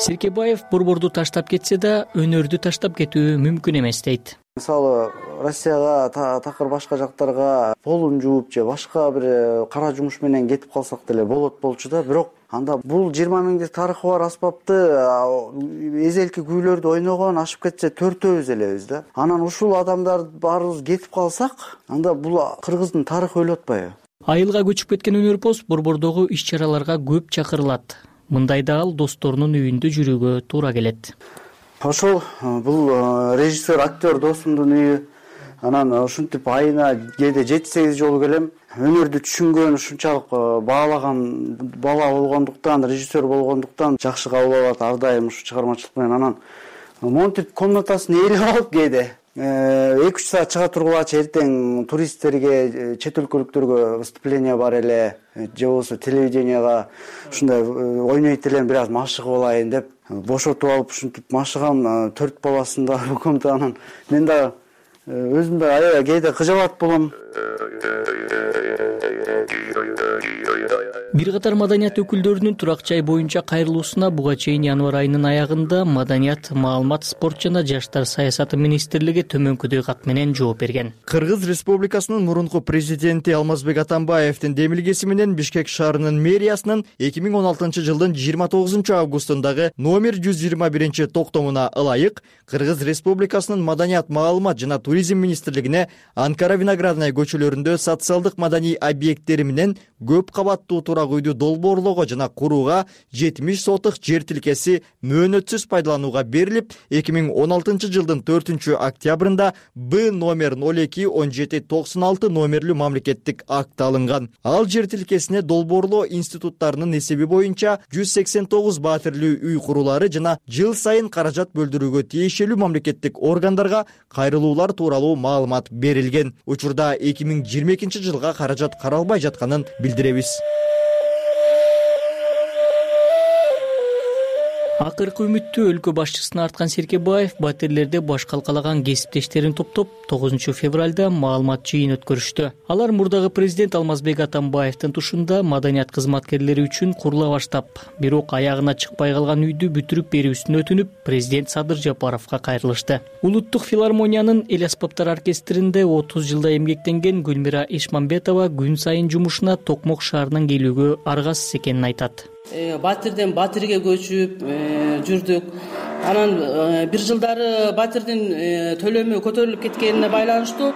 Серкебаев Борборду таштап кетсе да, өнөрдү таштап кетүү мүмкүн эмес дейт. Мисалы, Россияга, такыр башка жактарга полун жууп же башка бир кара жумуш менен кетип калсак деле болот болчу да, бирок анда бул жыйырма миңдик тарыхы бар аспапты эзелки күүлөрдү ойногон ашып кетсе төртөөбүз элебиз да. Анан ушул адамдар баарыбыз кетип калсак, анда бул кыргыздын тарыхы өлүп атпайбы? Айылга көчүп кеткен өнөрпоз Борбордогу иш-чараларга көп чакырылат. Мындайда ал досторунун үйүндө жүрүүгө туура келет. Ошол бул режиссер, актер досумдун үйү. Анан ушинтип айына кээде жети сегиз жолу келем. Өнөрдү түшүнгөн, ушунчалык баалаган бала болгондуктан, режиссер болгондуктан жакшы кабыл алат ар дайым ушу чыгармачылык менен. Анан монтип комнатасын ээлеп алып кээде эки үч саат чыга тургулачы эртең туристтерге, чет өлкөлүктөргө выступление бар эле, же болбосо телевиденияга ушундай ойнойт элем, бир аз машыгып алайын деп бошотуп алып ушинтип машыгам. Төрт баласын да көмдө. Анан мен да өзүм да аябай кээде кыжабат болом. Бир катар маданият өкүлдөрүнүн турак жай боюнча кайрылуусуна буга чейин январь айынын аягында Маданият, маалымат, спорт жана жаштар саясаты министрлиги төмөнкүдөй кат менен жооп берген. Кыргыз Республикасынын мурунку президенти Алмазбек Атамбаевдин демилгеси менен Бишкек шаарынын мэриясынын эки миң он алтынчы жылдын жыйырма тогузунчу августундагы номер жүз жыйырма биринчи токтомуна ылайык Кыргыз Республикасынын Маданият, маалымат жана туризм министрлигине Анкара Виноградная көчөлөрүндө социалдык маданий объекттери менен көп кабаттуу турак үйдү долбоорлоого жана курууга жетимиш сотук жер тилкеси мөөнөтсүз пайдаланууга берилип, эки миң он алтынчы жылдын төртүнчү октябрында Б номер ноль эки он жети токсон алты номерлүү мамлекеттик акт алынган. Ал жер тилкесине долбоорлоо институттарынын эсеби боюнча жүз сексен тогуз баатирлүү үй курулары жана жыл сайын каражат бөлдүрүүгө тиешелүү мамлекеттик органдарга кайрылуулар тууралуу маалымат берилген. Учурда эки миң жыйырма экинчи жылга каражат каралбай жатканын билдиребиз. Акыркы үмүттү өлкө башчысына арткан Серкебаев батирлерде баш калкалаган кесиптештерин топтоп тогузунчу февралда маалымат жыйын өткөрүштү. Алар мурдагы президент Алмазбек Атамбаевдин тушунда маданият кызматкерлери үчүн курула баштап, бирок аягына чыкпай калган үйдү бүтүрүп берүүсүн өтүнүп, президент Садыр Жапаровго кайрылышты. Улуттук филармониянын эл аспаптар оркестринде отуз жылда эмгектенген Гүлмира Ишмамбетова күн сайын жумушуна Токмок шаарынан келүүгө аргасыз экенин айтат. Батирден батирге көчүп жүрдүк. Анан бир жылдары батирдин төлөмү көтөрүлүп кеткенине байланыштуу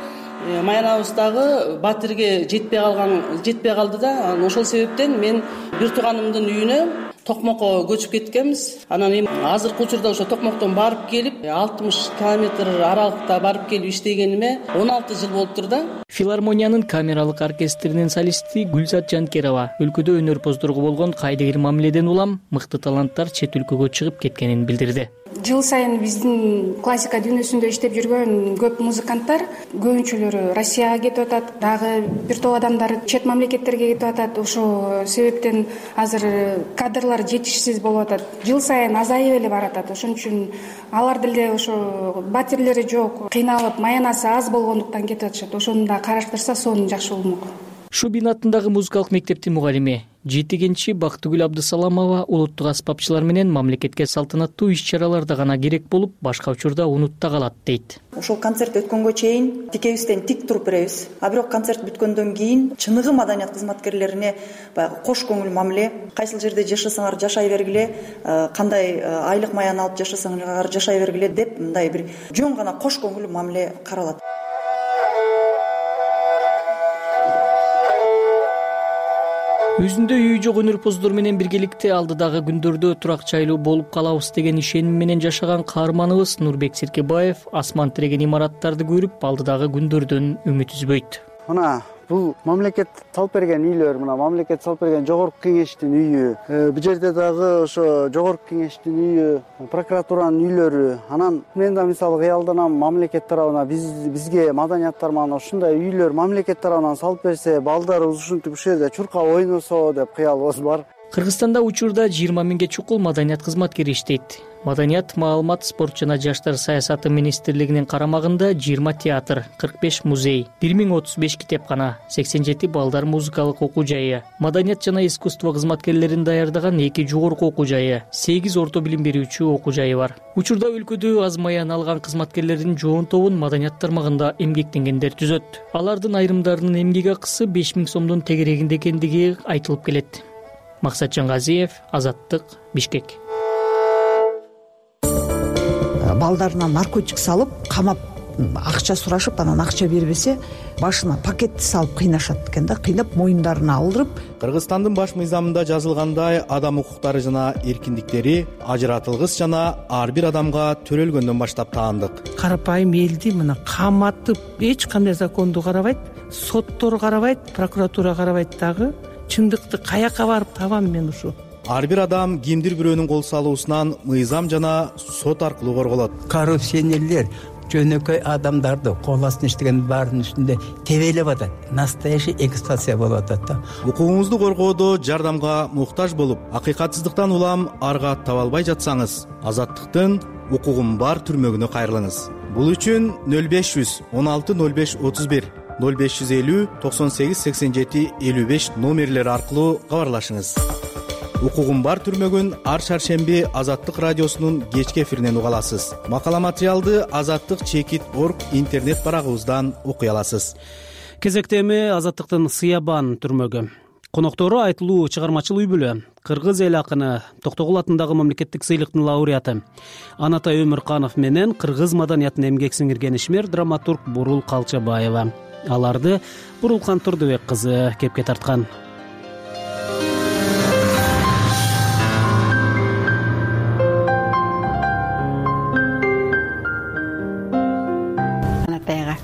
маянабыздагы батирге жетпей калган жетпей калды да. Ошол себептен мен бир тууганымдын үйүнө Токмокко көчүп кеткенбиз. Анан эми азыркы учурда ошо Токмоктон барып келип алтымыш километр аралыкта барып келип иштегениме он алты жыл болуптур да. Филармониянын камералык оркестринин солисти Гүлзат Жанкерова өлкөдө өнөрпоздорго болгон кайдыгер мамиледен улам мыкты таланттар чет өлкөгө чыгып кеткенин билдирди. Жыл сайын биздин классика дүйнөсүндө иштеп жүргөн көп музыканттар көбүнчөлөрү Россияга кетип атат, дагы бир топ адамдар чет мамлекеттерге кетип атат. Ошол себептен азыр кадрлар жетишсиз болуп атат. Жыл сайын азайып эле баратат. Ошон үчүн алар деле ошо батирлери жок, кыйналып, маянасы аз болгондуктан кетип атышат. Ошону да караштырса сонун жакшы болмок. Шубин атындагы музыкалык мектептин мугалими жетигенчи Бактыгүл Абдысаламова улуттук аспапчылар менен мамлекетке салтанаттуу иш-чараларда гана керек болуп, башка учурда унутта калат дейт. Ошол концерт өткөнгө чейин тикебизден тик туруп беребиз. А бирок концерт бүткөндөн кийин чыныгы маданият кызматкерлерине баягы кош көңүл мамиле, кайсыл жерде жашасаңар жашай бергиле, кандай айлык маяны алып жашасаңар жашай бергиле деп мындай бир жөн гана кош көңүл мамиле каралат. Өзүндө үйү жок өнөрпоздор менен биргеликте алдыдагы күндөрдө турак жайлуу болуп калабыз деген ишеним менен жашаган каарманыбыз Нурбек Серкебаев асман тиреген имараттарды көрүп алдыдагы күндөрдөн үмүт үзбөйт. Мына бул мамлекет салып берген үйлөр, мына мамлекет салып берген жогорку кеңештин үйү, бул жерде дагы ошо жогорку кеңештин үйү, прокуратуранын үйлөрү. Анан мен да мисалы кыялданам, мамлекет тарабынан биз бизге маданият тармагынан ушундай үйлөр мамлекет тарабынан салып берсе, балдарыбыз ушинтип ушул жерде чуркап ойносо деп кыялыбыз бар. Кыргызстанда учурда жыйырма миңге чукул маданият кызматкери иштейт. Маданият, маалымат, спорт жана жаштар саясаты министрлигинин карамагында жыйырма театр, кырк беш музей, бир миң отуз беш китепкана, сексен жети балдар музыкалык окуу жайы, маданият жана искусство кызматкерлерин даярдаган эки жогорку окуу жайы, сегиз орто билим берүүчү окуу жайы бар. Учурда өлкөдө аз маян алган кызматкерлердин жоон тобун маданият тармагында эмгектенгендер түзөт. Алардын айрымдарынын эмгек акысы беш миң сомдун тегерегинде экендиги айтылып келет. Максат Жангазиев, Азаттык, Бишкек. Балдарына наркотик салып, камап, акча сурашып, анан акча бербесе, башына пакетти салып кыйнашат экен да, кыйнап моюндарына алдырып. Кыргызстандын баш мыйзамында жазылгандай, адам укуктары жана эркиндиктери ажыратылгыс жана ар бир адамга төрөлгөндөн баштап таандык. Карапайым элди мына каматып, эч кандай законду карабайт, соттор карабайт, прокуратура карабайт дагы. Чындыкты каяка барып табам мен ушу? Ар бир адам кимдир бирөөнүн кол салуусунан мыйзам жана сот аркылуу корголот. Коррупционерлер жөнөкөй адамдарды кол астына иштеген баарынын үстүндө тебелеп атат. Настоящий эксплуатация болуп атат да. Укугуңузду коргоодо жардамга муктаж болуп, акыйкатсыздыктан улам арга таба албай жатсаңыз, Азаттыктын укугум бар түрмөгүнө кайрылыңыз. Бул үчүн нөл беш жүз он алты нөл беш отуз бир нөл беш жүз элүү токсон сегиз сексен жети элүү беш номерлери аркылуу кабарлашыңыз. Укугум бар түрмөгүн ар шаршемби Азаттык радиосунун кечки эфиринен уга аласыз. Макала материалды азаттык чекит точка орг интернет барагыбыздан окуй аласыз. Кезекте эми Азаттыктын Сыябан түрмөгү. Коноктору айтылуу чыгармачыл үй бүлө, кыргыз эл акыны Токтогул атындагы мамлекеттик сыйлыктын лауреаты Анатай Өмүрканов менен кыргыз маданиятына эмгек сиңирген ишмер драматург Бурул Калчабаева. Аларды Бурулкан Турдубек кызы кепке тарткан. Анатайга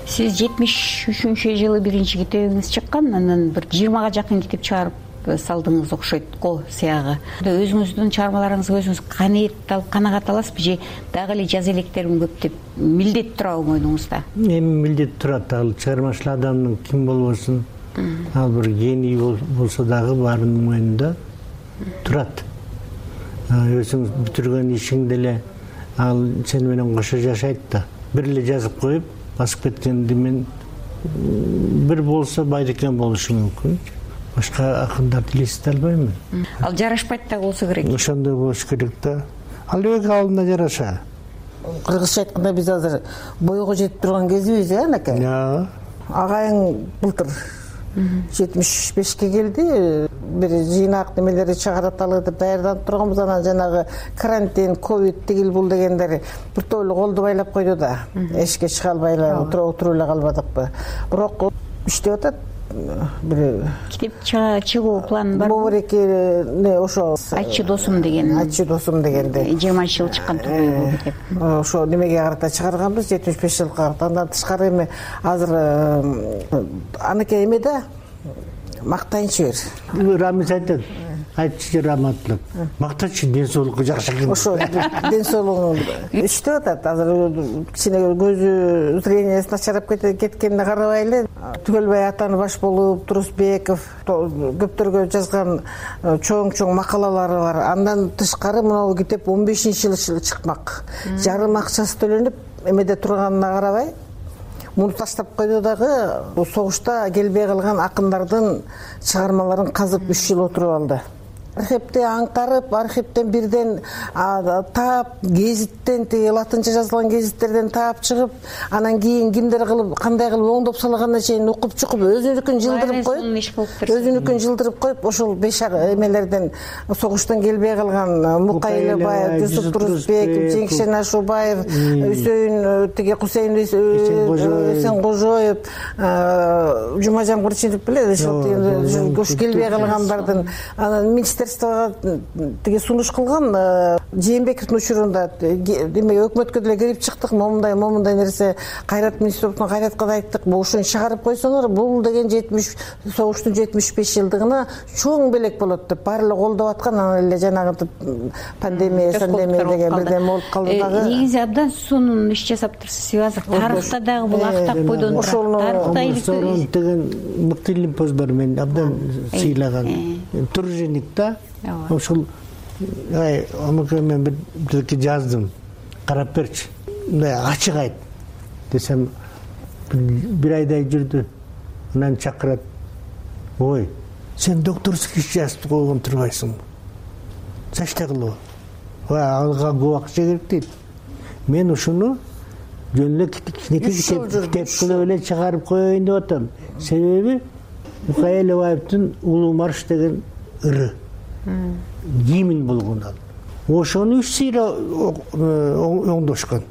сиз жетимиш үчүнчү жылы биринчи китебиңиз чыккан, анан бир жыйырмага жакын китеп чыгарып салдыңыз окшойт го сыягы. Өзүңүздүн чыгармаларыңызга өзүңүз канаатталып канагат аласызбы же дагы эле жаза электерим көп деп милдет турабы мойнуңузда? Эми милдет турат. Ал чыгармачыл адамдын ким болбосун, ал бир гений болсо дагы баарынын мойнунда турат. Өзүң бүтүргөн ишиң деле ал сени менен кошо жашайт да. Бир эле жазып коюп басып кеткенди мен бир болсо Байдыкен болушу мүмкүн. Башка акындарды элестете албайм. Ал жарашпайт да болсо керек. Ошондой болуш керек да. Ал өз алдына жараша. Кыргызча айтканда биз азыр бойго жетип турган кезибиз, э, анакай? Агайың былтыр жетимиш бешке келди. Бир жыйнак немелери чыгараталы деп даярданып турганбыз. Анан жанагы карантин, ковид тигил бул дегендер бир тойлу колду байлап койду да. Эшикке чыга албай эле отуруп эле калбадыкпы. Бирок иштеп атат. бир китеп чыгуу планы барбы? Бобуреке ошо айтчы досум деген айтчы досум дегенде жыйырманчы жыл чыккан китеп. Ошо немеге карата чыгарганбыз, жетимиш беш жылга карата. Андан тышкары эми азыр аныкей эме да мактайынчы бир. Рамиз айтат, айтчы раматтылык, мактачы ден соолукку жакшы экен. Ошо ден соолугун иштеп атат. Азыр кичине көзү зрениясы начарап кеткенине карабай эле Түгөлбай атаны баш болуп, Турусбеков көптөргө жазган чоң-чоң макалалары бар. Андан тышкары мына китеп он бешинчи жылы чыкмак. Жарым акчасы төлөнүп эмеде турганына карабай муну таштап койду дагы согушта келбей калган акындардын чыгармаларын казып үч жыл отуруп алды. Архивди аңкарып, архивден бирден таап, гезиттен, тиги латынча жазылган гезиттерден таап чыгып, анан кийин кимдер кылып, кандай кылып оңдоп салганына чейин окуп чыгып, өзүнүкүн жылдырып коюп, өзүнүкүн жылдырып коюп, ошол беш эмелерден согуштан келбей калган Мукай Элебаев, Жусуп Турусбеков, Жеңишен Ашубаев, Үсөйүн, тиги Кусейин Эсенгожоев, Жумажан Курчинов беле, ошол келбей калгандардын анан министр тиги сунуш кылган Жээнбековдун учурунда деме өкмөткө деле кирип чыктык, момундай момундай нерсе Кайрат министрликтен Кайратка да айттык, бул ушуну чыгарып койсоңор, бул деген жетимиш согуштун жетимиш беш жылдыгына чоң белек болот деп баары эле колдоп аткан. Анан эле жанагы пандемия, сандемия деген бирдеме болуп калды дагы. Негизи абдан сонун иш жасаптырсыз. Азыр тарыхта дагы бул актак бойдон турат. Тарыхта деген мыкты лимпоздор мен абдан сыйлаган. Труженик да. Ошол аны мен бирке жаздым. Карап берчи. Мындай ачык айт десем, бир айдай жүрдү. Анан чакырат. Ой, сен докторский иш жазып койгон турбайсыңбы? Зачем кылып? Ой, алга губак керек дейт. Мен ушуну жөн эле кичинекей китеп кылып эле чыгарып коеюн деп атам. Себеби Мукай Элебаевдин Улуу марш деген ыры. Гимн болгон ал. Ошону үч сыйра оңдошкон.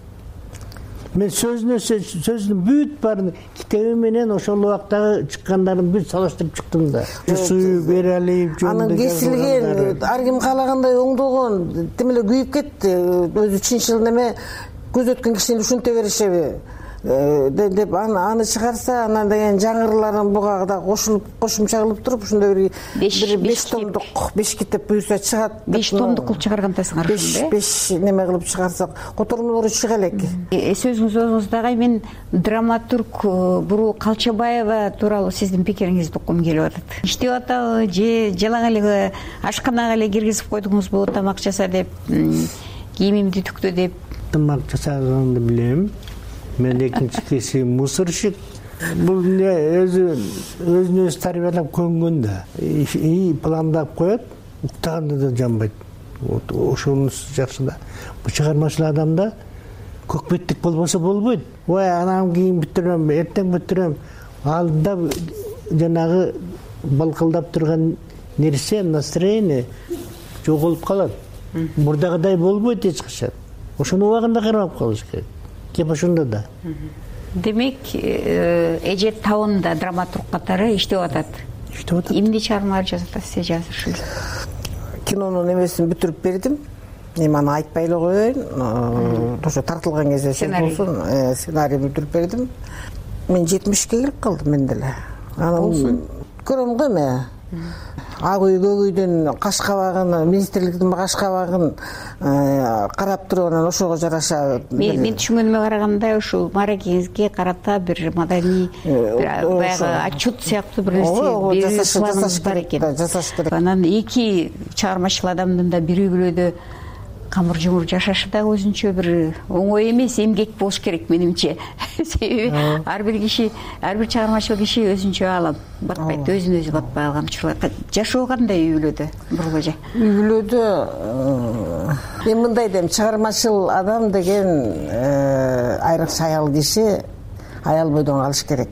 Мен сөзүнө сөзүнүн бүт баарын китеби менен ошол убактагы чыккандарын бүт салыштырып чыктым да. Жусуп Эралиев жөнүндө анын кесилген ар ким каалагандай оңдогон тим эле күйүп кетти. Өзү чынчыл неме көз өткөн кишини ушинте беришеби деп аны чыгарса, анан деген жаңырыларын буга кошулуп кошумча кылып туруп ошондой бир беш томдук беш китеп буюрса чыгат. беш томдук кылып чыгаргандасыңар ошондо. беш неме кылып чыгарсак котормолору чыга элек. Сөзүңүз өзүңүздагы мен драматург Буруу Калчабаева тууралуу сиздин пикириңизди уккум келип атат. Иштеп атабы же жалаң эле ашканага эле киргизип койдуңузбу, тамак жаса деп, кийимимди түктө деп? Тамак жасаганды билем. Мен экинчи кесибим мусорщик. Бул өзү өзүн өзү тарбиялап көнгөн да. И пландап коет, уктаганда да жанбайт. Ошонусу жакшы да. Бул чыгармачыл адамда көкбеттик болбосо болбойт. Ой, анан кийин бүтүрөм, эртең бүтүрөм. Алдында жанагы балкылдап турган нерсе, настроение жоголуп калат. Мурдагыдай болбойт эч качан. Ошону убагында кармап калыш керек. Кеп ошондо да. Демек, эже табында драматург катары иштеп атат. Иштеп атат. Эмне чыгармалар жазып атасыз эже азыр? Кинонун эмесин бүтүрүп бердим. Эми аны айтпай эле коеюн. Ошо тартылган кезде болсун, сценарий бүтүрүп бердим. Мен жетимишке келип калдым мен деле. Анан көрөм го эми. Ак үй көк үйдүн каш кабагын, министрликтин каш кабагын карап туруп анан ошого жараша. Мен түшүнгөнүмө караганда ушул мааракеңизге карата бир маданий баягы отчет сыяктуу бир нерсе жасаш бар экен. Жасаш керек. Анан эки чыгармачыл адамдын да бир үй бүлөдө камыр жумур жашашы да өзүнчө бир оңой эмес, эмгек болуш керек менимче. Себеби ар бир киши, ар бир чыгармачыл киши өзүнчө алам батпайт, өзүн өзү батпай алган учурлар. Жашоо кандай үй бүлөдө, Бурул эже? Үй бүлөдө мен мындай дейм, чыгармачыл адам деген айрыкча аял киши аял бойдон калыш керек.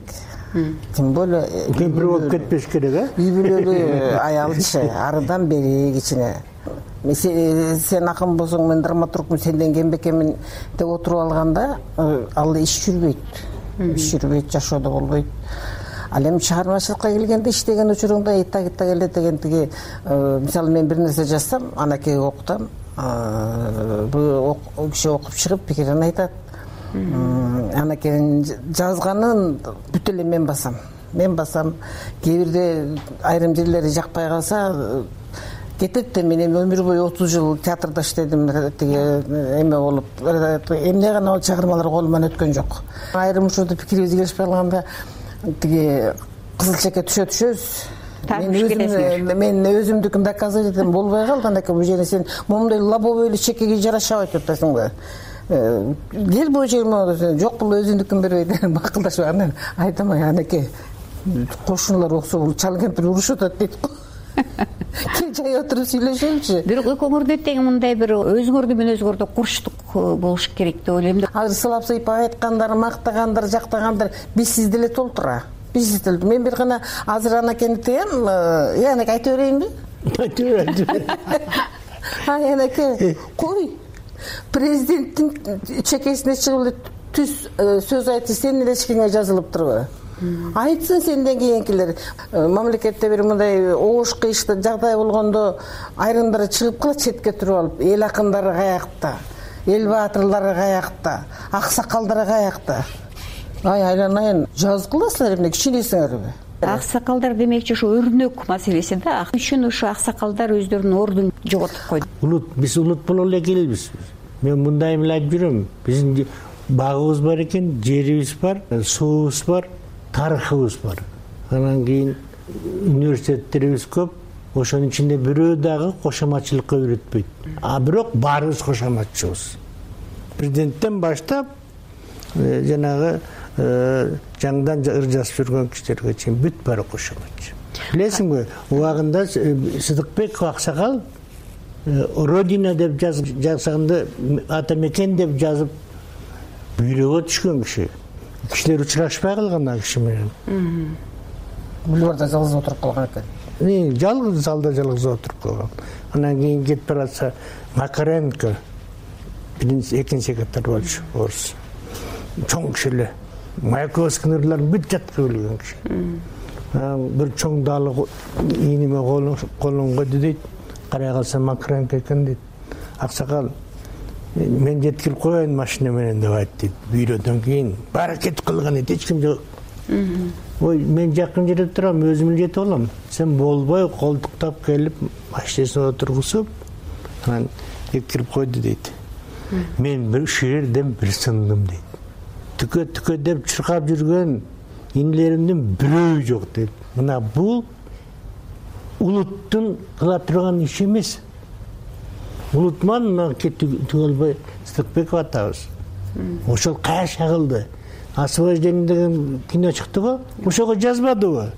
Тем более кемпир болуп кетпеш керек, а? Үй бүлөлүү аялчы, арыдан бери кичине сен акын болсоң, мен драматургмун, сенден кембекемин деп отуруп алганда ал иш жүрбөйт. Иш жүрбөйт, жашоодо болбойт. ал эми чыгармачылыкка келгенде иштеген учуруңда итта итта келет деген тиги мисалы мен бир нерсе жазсам анакейге окутам, бул киши окуп чыгып пикирин айтат, анакейин жазганын бүт эле мен басам мен басам кээ бирде айрым жерлери жакпай калса кетет да. Мен эми өмүр бою отуз жыл театрда иштедим, тиги эме болуп эмне гана ол чыгармалар колуман өткөн жок. Айрым учурда пикирибиз келишпей калганда тиги кызыл чекке түшө түшөбүз. Мен өзүмдүкүн доказывать этем, болбой калды. Анан бул жерде сен момундай лобовойлуу чекеге жарашабайт деп атасыңбы? Кел бул жерге, жок бул өзүндүкүн бербейт деп макулдашып анан айтам, анакей кошуналар оксо бул чал кемпир урушуп атат дейт го. Кел жай отуруп сүйлөшөлүчү. Бирок экөөңөрдө тең мындай бир өзүңөрдү менен өзүңөрдө курчтук болуш керек деп ойлойм да. Азыр сылап сыйпап айткандар, мактагандар, жактагандар бизсиз деле толтура. Бизсиз деле. Мен бир гана азыр анакени тыям, э анакей айта берейинби? Айта бер. Ай анакей, кой. Президенттин чекесине чыгып эле түз сөз айтты, сенин эле эчкиңе жазылыптырбы? Айтсын сенден кийинкилер. Мамлекетте бир мындай оош кыйышты жагдай болгондо айрымдары чыгып калат четке туруп алып, эл акындары каякта, эл баатырлары каякта, аксакалдары каякта. Ай айланайын, жазгыласыңар эмне кичинесиңерби? Аксакалдар демекчи ушу өрнөк маселеси да. Үчүн ушу аксакалдар өздөрүнүн ордун жоготуп койду. Улут, биз улут боло эле келбиз. Мен мындай эле айтып жүрөм. Биздин багыбыз бар экен, жерибиз бар, суубуз бар, тарыхыбыз бар. Анан кийин университеттерибиз көп. Ошонун ичинде бирөө дагы кошоматчылыкка үйрөтпөйт. А бирок баарыбыз кошоматчыбыз. Президенттен баштап жанагы жаңдан ыр жазып жүргөн кишилерге чейин бүт баары кошоматчы. Билесиңби, убагында Сыдыкбеков аксакал Родина деп жазганда, ата мекен деп жазып бүйрөгө түшкөн киши. Кишилер учурашпай калган ал киши менен. Бульварда жалгыз отуруп калган экен. Жалгыз залда жалгыз отуруп калган. Анан кийин кетип баратса Макаренко экинчи секретарь болчу, орус. Чоң киши эле. Маяковский ырларын бүт жатка билген киши. Бир чоң далы ийниме колуң койду дейт. Карай калса Макаренко экен дейт. Аксакал мен жеткирип коеюн машина менен деп айтты дейт. Бүйрөдөн кийин баары кетип калган эди, эч ким жок. Ой, мен жакын жерде турам, өзүм эле жетип алам. Сен болбой колтуктап келип, машинасына отургузуп, анан жеткирип койду дейт. Мен бир ушул жерден бир сындым дейт. Түкө түкө деп чуркап жүргөн инилеримдин бирөө жок дейт. Мына бул улуттун кыла турган иши эмес. Улутман мына түгөлбөй Сыдыкбеков атабыз. Ошол кайша кылды. Освобождение деген кино чыкты го, ошого жазбадыбы?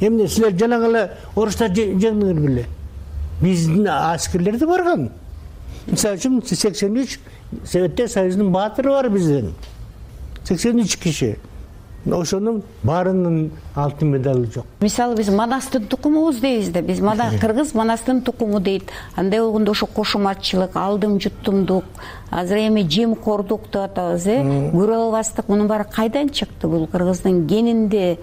Эмне силер жанагы эле орустар жеңдиңер беле? Биздин аскерлер да барган. Мисалы үчүн сексен үч Советтер Союзунун баатыры бар бизден. сексен үч киши. Ошонун баарынын алтын медалы жок. Мисалы биз Манастын тукумубуз дейбиз да, биз мана кыргыз Манастын тукуму дейт. Андай болгондо ошо кошоматчылык, алдым жуттумдук, азыр эми жемкордук деп атабыз, э? Көрө албастык, мунун баары кайдан чыкты? Бул кыргыздын генинде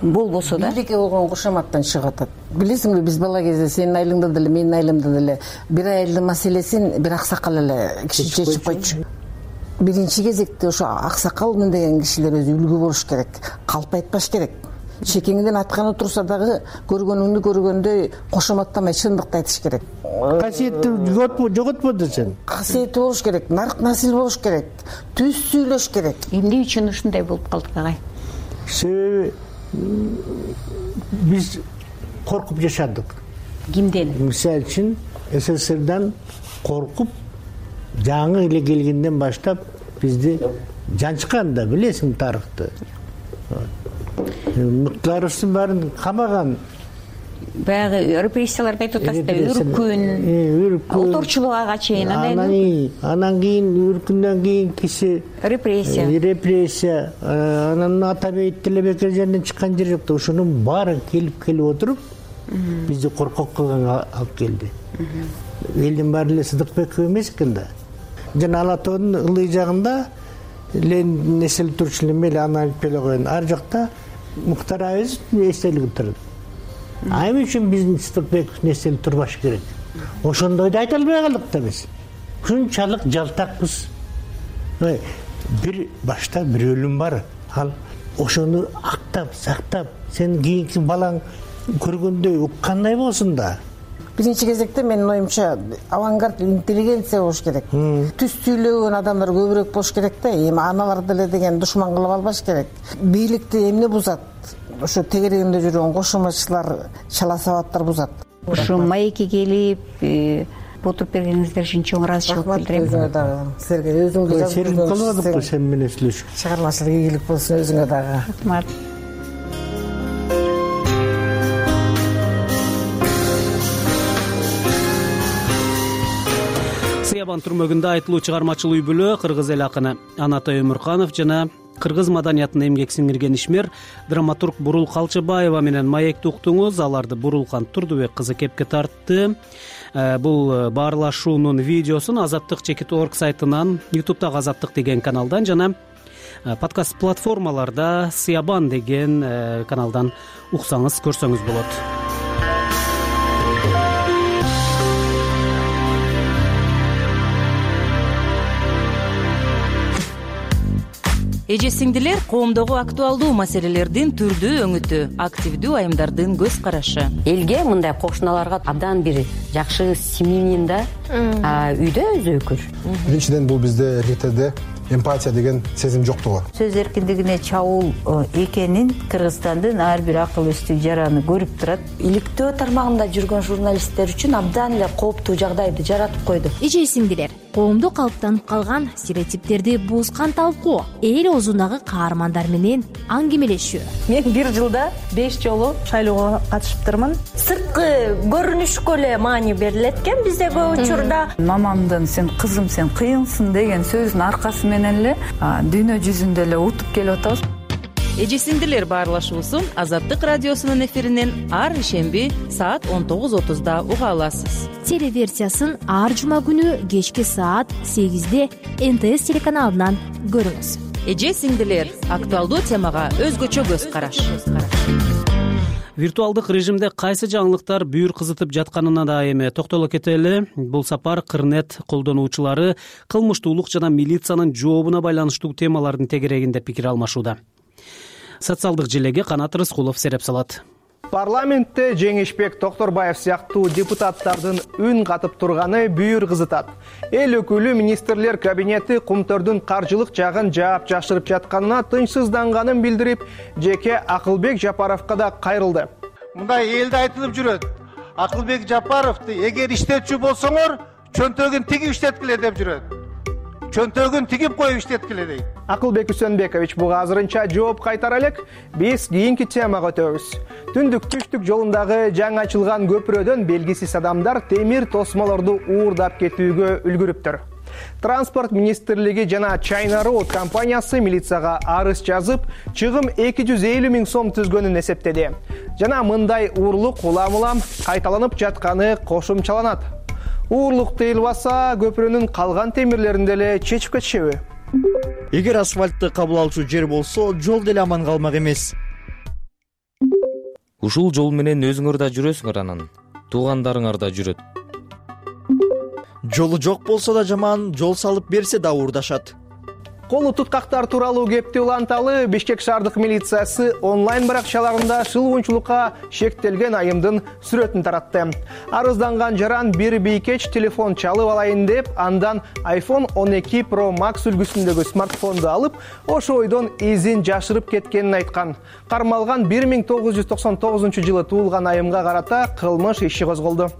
болбосо да. Бийликке болгон кошоматтан чыгып атат. Билесиңби, биз бала кезде сенин айылыңда деле, менин айылымда деле бир айылдын маселесин бир аксакал эле киши чечип койчу. Биринчи кезекте ошо аксакал деген кишилер өзү үлгү болуш керек, калп айтпаш керек. Чекеңден атканы турса дагы көргөнүңдү көргөндөй кошоматтамай чындыкты айтыш керек. Касиетти жоготподу сен. Касиети болуш керек, нарк насил болуш керек, түз сүйлөш керек. Эмне үчүн ушундай болуп калдык агай? Себеби биз коркуп жашадык. Кимден? Мисалы үчүн СССРдан коркуп жаңы эле келгенден баштап бизди жанчкан да, билесиң тарыхты. Мыктыларыбыздын баарын камаган. Баягы репрессияларды айтып атасыз да, үркүн, олторчулукка чейин. Анан кийин үркүндөн кийин киши репрессия. Репрессия. Анан Атабек Тилебекер жерден чыккан жер жок да, ошонун баары келип келип отуруп бизди коркок кылган алып келди. Элдин баары эле Сыдыкбеков эмес экен да. Жана Ала тоонун ылдый жагында Ленин эсел турчу эле мели аны айтып эле коеюн. Ар жакта Муктар Абазовдун эстелиги турат. А эмне үчүн биздин Сыдыкбековдун эстелиги турбашы керек? Ошондойду айта албай калдык да биз. Ушунчалык жалтакпыз. Бир башта бир өлүм бар. Ал ошону актап, сактап, сен кийинки балаң көргөндөй уккандай болсун да. Биринчи кезекте менин оюмча авангард интеллигенция болуш керек. Түз сүйлөгөн адамдар көбүрөөк болуш керек да. Эми аналар деле деген душман кылып албаш керек. Бийликти эмне бузат? Ошо тегерегинде жүргөн кошумачылар, чала сабаттар бузат. Ушу маекке келип отуруп бергениңиздер үчүн чоң ыраазычылык билдирем. Өзүңө дагы силерге өзүңдү жазып серик кылбадыкпы сен менен сүйлөшүп. Чыгармачылык ийгилик болсун өзүңө дагы. Рахмат. Сыябан түрмөгүндө айтылуу чыгармачыл үй бүлө кыргыз эл акыны Анатай Өмүрканов жана кыргыз маданиятына эмгек сиңирген ишмер драматург Бурул Калчыбаева менен маекти уктуңуз. Аларды Бурулкан Турдубек кызы кепке тартты. Бул баарлашуунун видеосун Азаттык чекит точка орг сайтынан, ютубтагы Азаттык деген каналдан жана подкаст платформаларда Сыябан деген каналдан уксаңыз, көрсөңүз болот. Эже сиңдилер, коомдогу актуалдуу маселелердин түрдүү өңүтү, активдүү айымдардын көз карашы. Элге мындай кошуналарга абдан бир жакшы симинин да үйдө өзөкүр. Биринчиден бул бизде эркектерде эмпатия деген сезим жоктугу. Сөз эркиндигине чабуул экенин Кыргызстандын ар бир акыл эстүү жараны көрүп турат. Иликтөө тармагында жүргөн журналисттер үчүн абдан эле кооптуу жагдайды жаратып койду. Эже сиңдилер, коомдо калыптанып калган стереотиптерди буузган талкуу, эл оозундагы каармандар менен аңгемелешүү. Мен бир жылда беш жолу шайлоого катышыптырмын. Сырткы көрүнүшкө эле маани берилет экен бизде көп учурда. Мамамдын сен кызым сен кыйынсың деген сөзүнүн аркасы менен эле дүйнө жүзүндө эле утуп келип атабыз. Эже сиңдилер баарлашуусун Азаттык радиосунун эфиринен ар ишемби саат он тогуз отузда уга аласыз. Телеверсиясын ар жума күнү кечки саат сегизде эн тэ эс телеканалынан көрүңүз. Эже сиңдилер актуалдуу темага өзгөчө көз караш. Виртуалдык режимде кайсы жаңылыктар бүйүр кызытып жатканына да эми токтоло кетели. Бул сапар Кырнет колдонуучулары кылмыштуулук жана милициянын жообуна байланыштуу темалардын тегерегинде пикир алмашууда. Социалдык желеге Канат Рыскулов сереп салат. Парламентте Жеңишбек Токторбаев сыяктуу депутаттардын үн катып турганы бүйүр кызытат. Эл өкүлү министрлер кабинети Кумтөрдүн каржылык жагын жаап жашырып жатканына тынчсызданганын билдирип, жеке Акылбек Жапаровго да кайрылды. Мындай элде айтылып жүрөт. Акылбек Жапаровду эгер иштетчү болсоңор, чөнтөгүн тигип иштеткиле деп жүрөт. Чөнтөгүн тигип коюп иштеткиле дейт. Акылбек Үсөнбекович буга азырынча жооп кайтара элек. Биз кийинки темага өтөбүз. Түндүк түштүк жолундагы жаңы ачылган көпүрөдөн белгисиз адамдар темир тосмолорду уурдап кетүүгө үлгүрүптүр. Транспорт министрлиги жана China Road компаниясы милицияга арыз жазып, чыгым эки жүз элүү миң сом түзгөнүн эсептеди. Жана мындай уурлук улам-улам кайталанып жатканы кошумчаланат. Уурлук тыйылбаса, көпүрөнүн калган темирлеринде эле чечип кетишеби? Эгер асфальтты кабыл алчу жер болсо, жол деле аман калмак эмес. Ушул жол менен өзүңөр да жүрөсүңөр, анан туугандарыңар да жүрөт. Жолу жок болсо да жаман, жол салып берсе да уурдашат. Колу туткактар тууралуу кепти уланталы Бишкек шаардык милициясы онлайн баракчаларында шылуунчулукка шектелген айымдын сүрөтүн таратты. Арызданган жаран бир бийкеч телефон чалып алайын деп, андан айфон он эки про макс үлгүсүндөгү смартфонду алып, ошо ойдон изин жашырып кеткенин айткан. Кармалган бир миң тогуз жүз токсон тогузунчу жылы туулган айымга карата кылмыш иши козголду.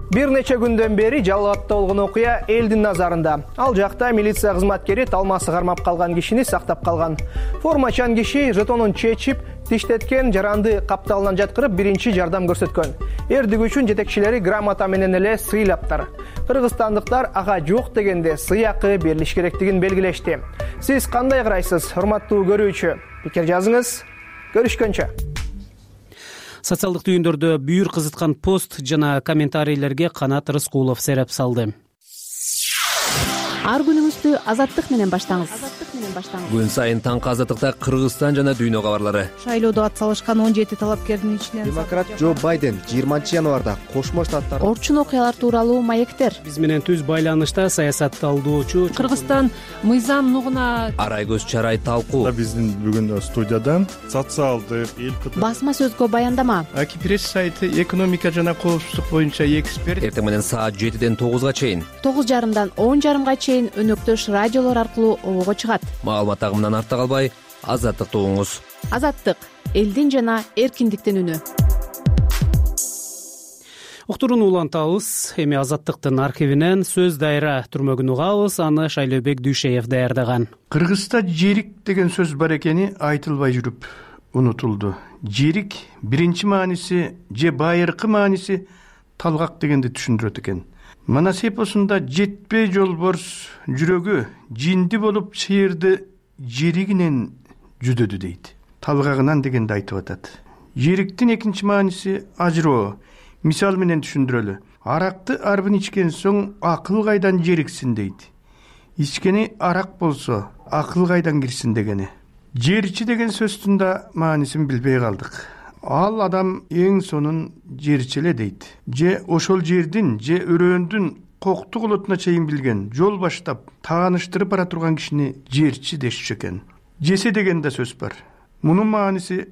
Бир нече күндөн бери Жалал абадта болгон окуя элдин назарында. Ал жакта милиция кызматкери талмасы кармап калган кишини сактап калган. Формачан киши жетонун чечип, тиштеткен жаранды капталынан жаткырып биринчи жардам көрсөткөн. Эрдигүүчүн жетекчилери грамота менен эле сыйлаптыр. Кыргызстандыктар ага жок дегенде сыйакы берилиш керектигин белгилешти. Сиз кандай карайсыз, урматтуу көрүүчү? Пикир жазыңыз. Көрүшкөнчө. Социалдык түйүндөрдө бүйүр кызыткан пост жана комментарийлерге Канат Рыскулов сереп салды. Ар күнүңүздү Азаттык менен баштаңыз. менен баштаңыз. Күн сайын таңкы азаттыкта Кыргызстан жана дүйнө кабарлары. Шайлоодо ат салышкан он жети талапкердин ичинен демократ Джо Байден жыйырманчы январда Кошмо Штаттар орчун окуялар тууралуу маектер. Биз менен түз байланышта саясат талдоочу Кыргызстан мыйзам нугуна Арай көз чарай талкуу. Биздин бүгүн студияда социалдык эл басма сөзгө баяндама. Аки пресс сайты экономика жана коопсуздук боюнча эксперт. Эртең менен саат жетиден тогузга чейин, тогуз жарымдан он жарымга чейин өнөктөш радиолор аркылуу обого чыгат. Маалымат агымынан артта калбай, Азаттыкты угуңуз. Азаттык — элдин жана эркиндиктин үнү. Уктурууну улантабыз. Эми Азаттыктын архивинен сөз дайра түрмөгүн угабыз. Аны Шайлообек Дүйшеев даярдаган. Кыргызста жерик деген сөз бар экени айтылбай жүрүп унутулду. Жерик биринчи мааниси же байыркы мааниси талгак дегенди түшүндүрөт экен. Манас эпосунда жетпей жолборс жүрөгү жинди болуп чыйырды жеригинен жүдөдү дейт. Талгагынан дегенди айтып атат. Жериктин экинчи мааниси ажыроо. Мисал менен түшүндүрөлү. Аракты арбын ичкен соң акыл кайдан жериксин дейт. Ичкени арак болсо акыл кайдан кирсин дегени. Жерчи деген сөздүн да маанисин билбей калдык. Ал адам эң сонун жерчи эле дейт. Же ошол жердин же өрөөндүн коктук олотуна чейин билген, жол баштап тааныштырып бара турган кишини жерчи дешчү экен. Жесе деген да сөз бар. Мунун мааниси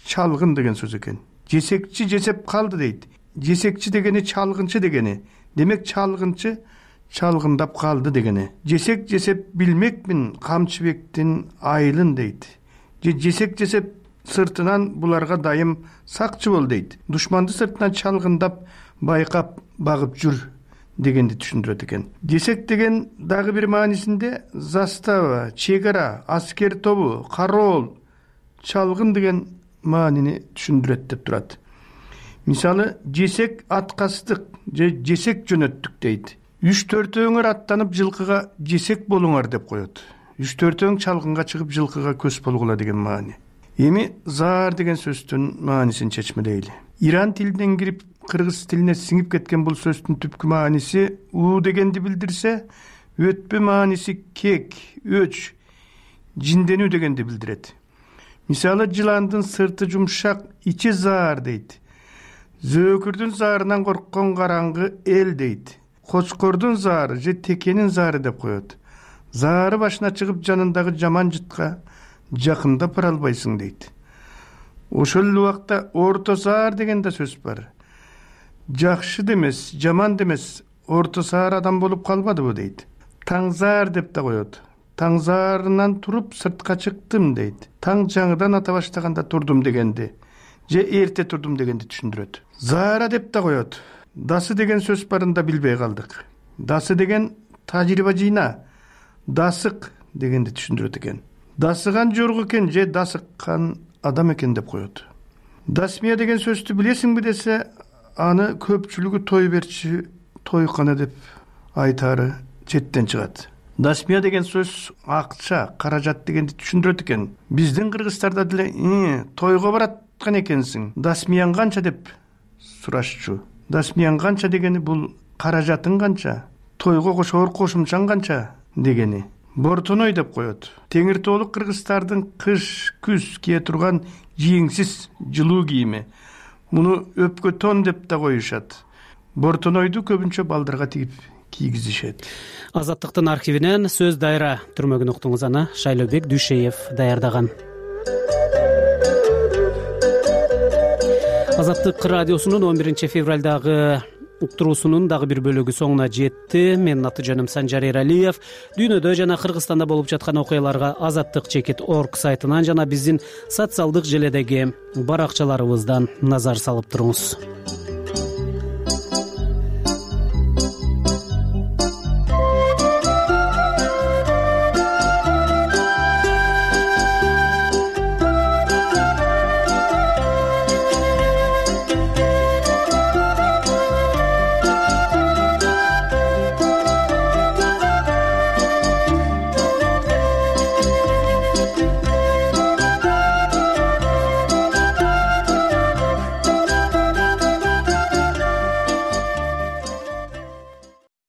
чалгын деген сөз экен. Жесекчи жесеп калды дейт. Жесекчи дегени чалгынчы дегени. Демек чалгынчы чалгындап калды дегени. Жесек жесеп билмекмин Камчыбектин айылын дейт. Же жесек жесеп сыртынан буларга дайым сакчы бол дейт. Душманды сыртынан чалгындап байкап багып жүр дегенди түшүндүрөт экен. Жесек деген дагы бир маанисинде застава, чек ара, аскер тобу, кароол, чалгын деген маанини түшүндүрөт деп турат. Мисалы, жесек аткастык же жесек жөнөттүк дейт. Үч төртөөңөр аттанып жылкыга жесек болуңар деп коет. Үч төртөөң чалгынга чыгып жылкыга көз болгула деген маани. Эми заар деген сөздүн маанисин чечмелейли. Иран тилинен кирип кыргыз тилине сиңип кеткен бул сөздүн түпкү мааниси уу дегенди билдирсе, өтпө мааниси кек, өч, жинденүү дегенди билдирет. Мисалы, жыландын сырты жумшак, ичи заар дейт. Зөөкүрдүн заарынан корккон караңгы эл дейт. Кочкордун заары же текенин заары деп коет. Заары башына чыгып жанындагы жаман жытка жакындап бара албайсың дейт. Ошол эле убакта орто заар деген да сөз бар. Жакшы демес, жаман демес, орто заар адам болуп калбадыбы дейт. Таң заар деп да коет. Таң заарынан туруп сыртка чыктым дейт. Таң жаңыдан ата баштаганда турдум дегенди. Же эрте турдум дегенди түшүндүрөт. Заара деп да коет. Дасы деген сөз барын да билбей калдык. Дасы деген тажрыйба жыйна, дасык дегенди түшүндүрөт экен. Дасыган жорго экен же дасыккан адам экен деп коет. Дасмия деген сөздү билесиңби десе, аны көпчүлүгү той берчи, тойкана деп айтары четтен чыгат. Дасмия деген сөз акча, каражат дегенди түшүндүрөт экен. Биздин кыргыздарда деле тойго бараткан экенсиң, дасмияң канча деп сурашчу. Дасмияң канча дегени бул каражатың канча, тойго кошоор кошумчаң канча дегени. Бортоной деп коет. Теңир тоолук кыргыздардын кыш, күз кие турган жийиңсиз жылуу кийими. Муну өпкө тон деп да коюшат. Бортонойду көбүнчө балдарга тигип кийгизишет. Азаттыктын архивинен сөз дайра түрмөгүн уктуңуз. Аны Шайлообек Дүйшеев даярдаган. Азаттык радиосунун он биринчи февралдагы уктуруусунун дагы бир бөлүгү соңуна жетти. Менин аты жөнүм Санжар Эралиев. Дүйнөдө жана Кыргызстанда болуп жаткан окуяларга азаттык чекит орг сайтынан жана биздин социалдык желедеги баракчаларыбыздан назар салып туруңуз.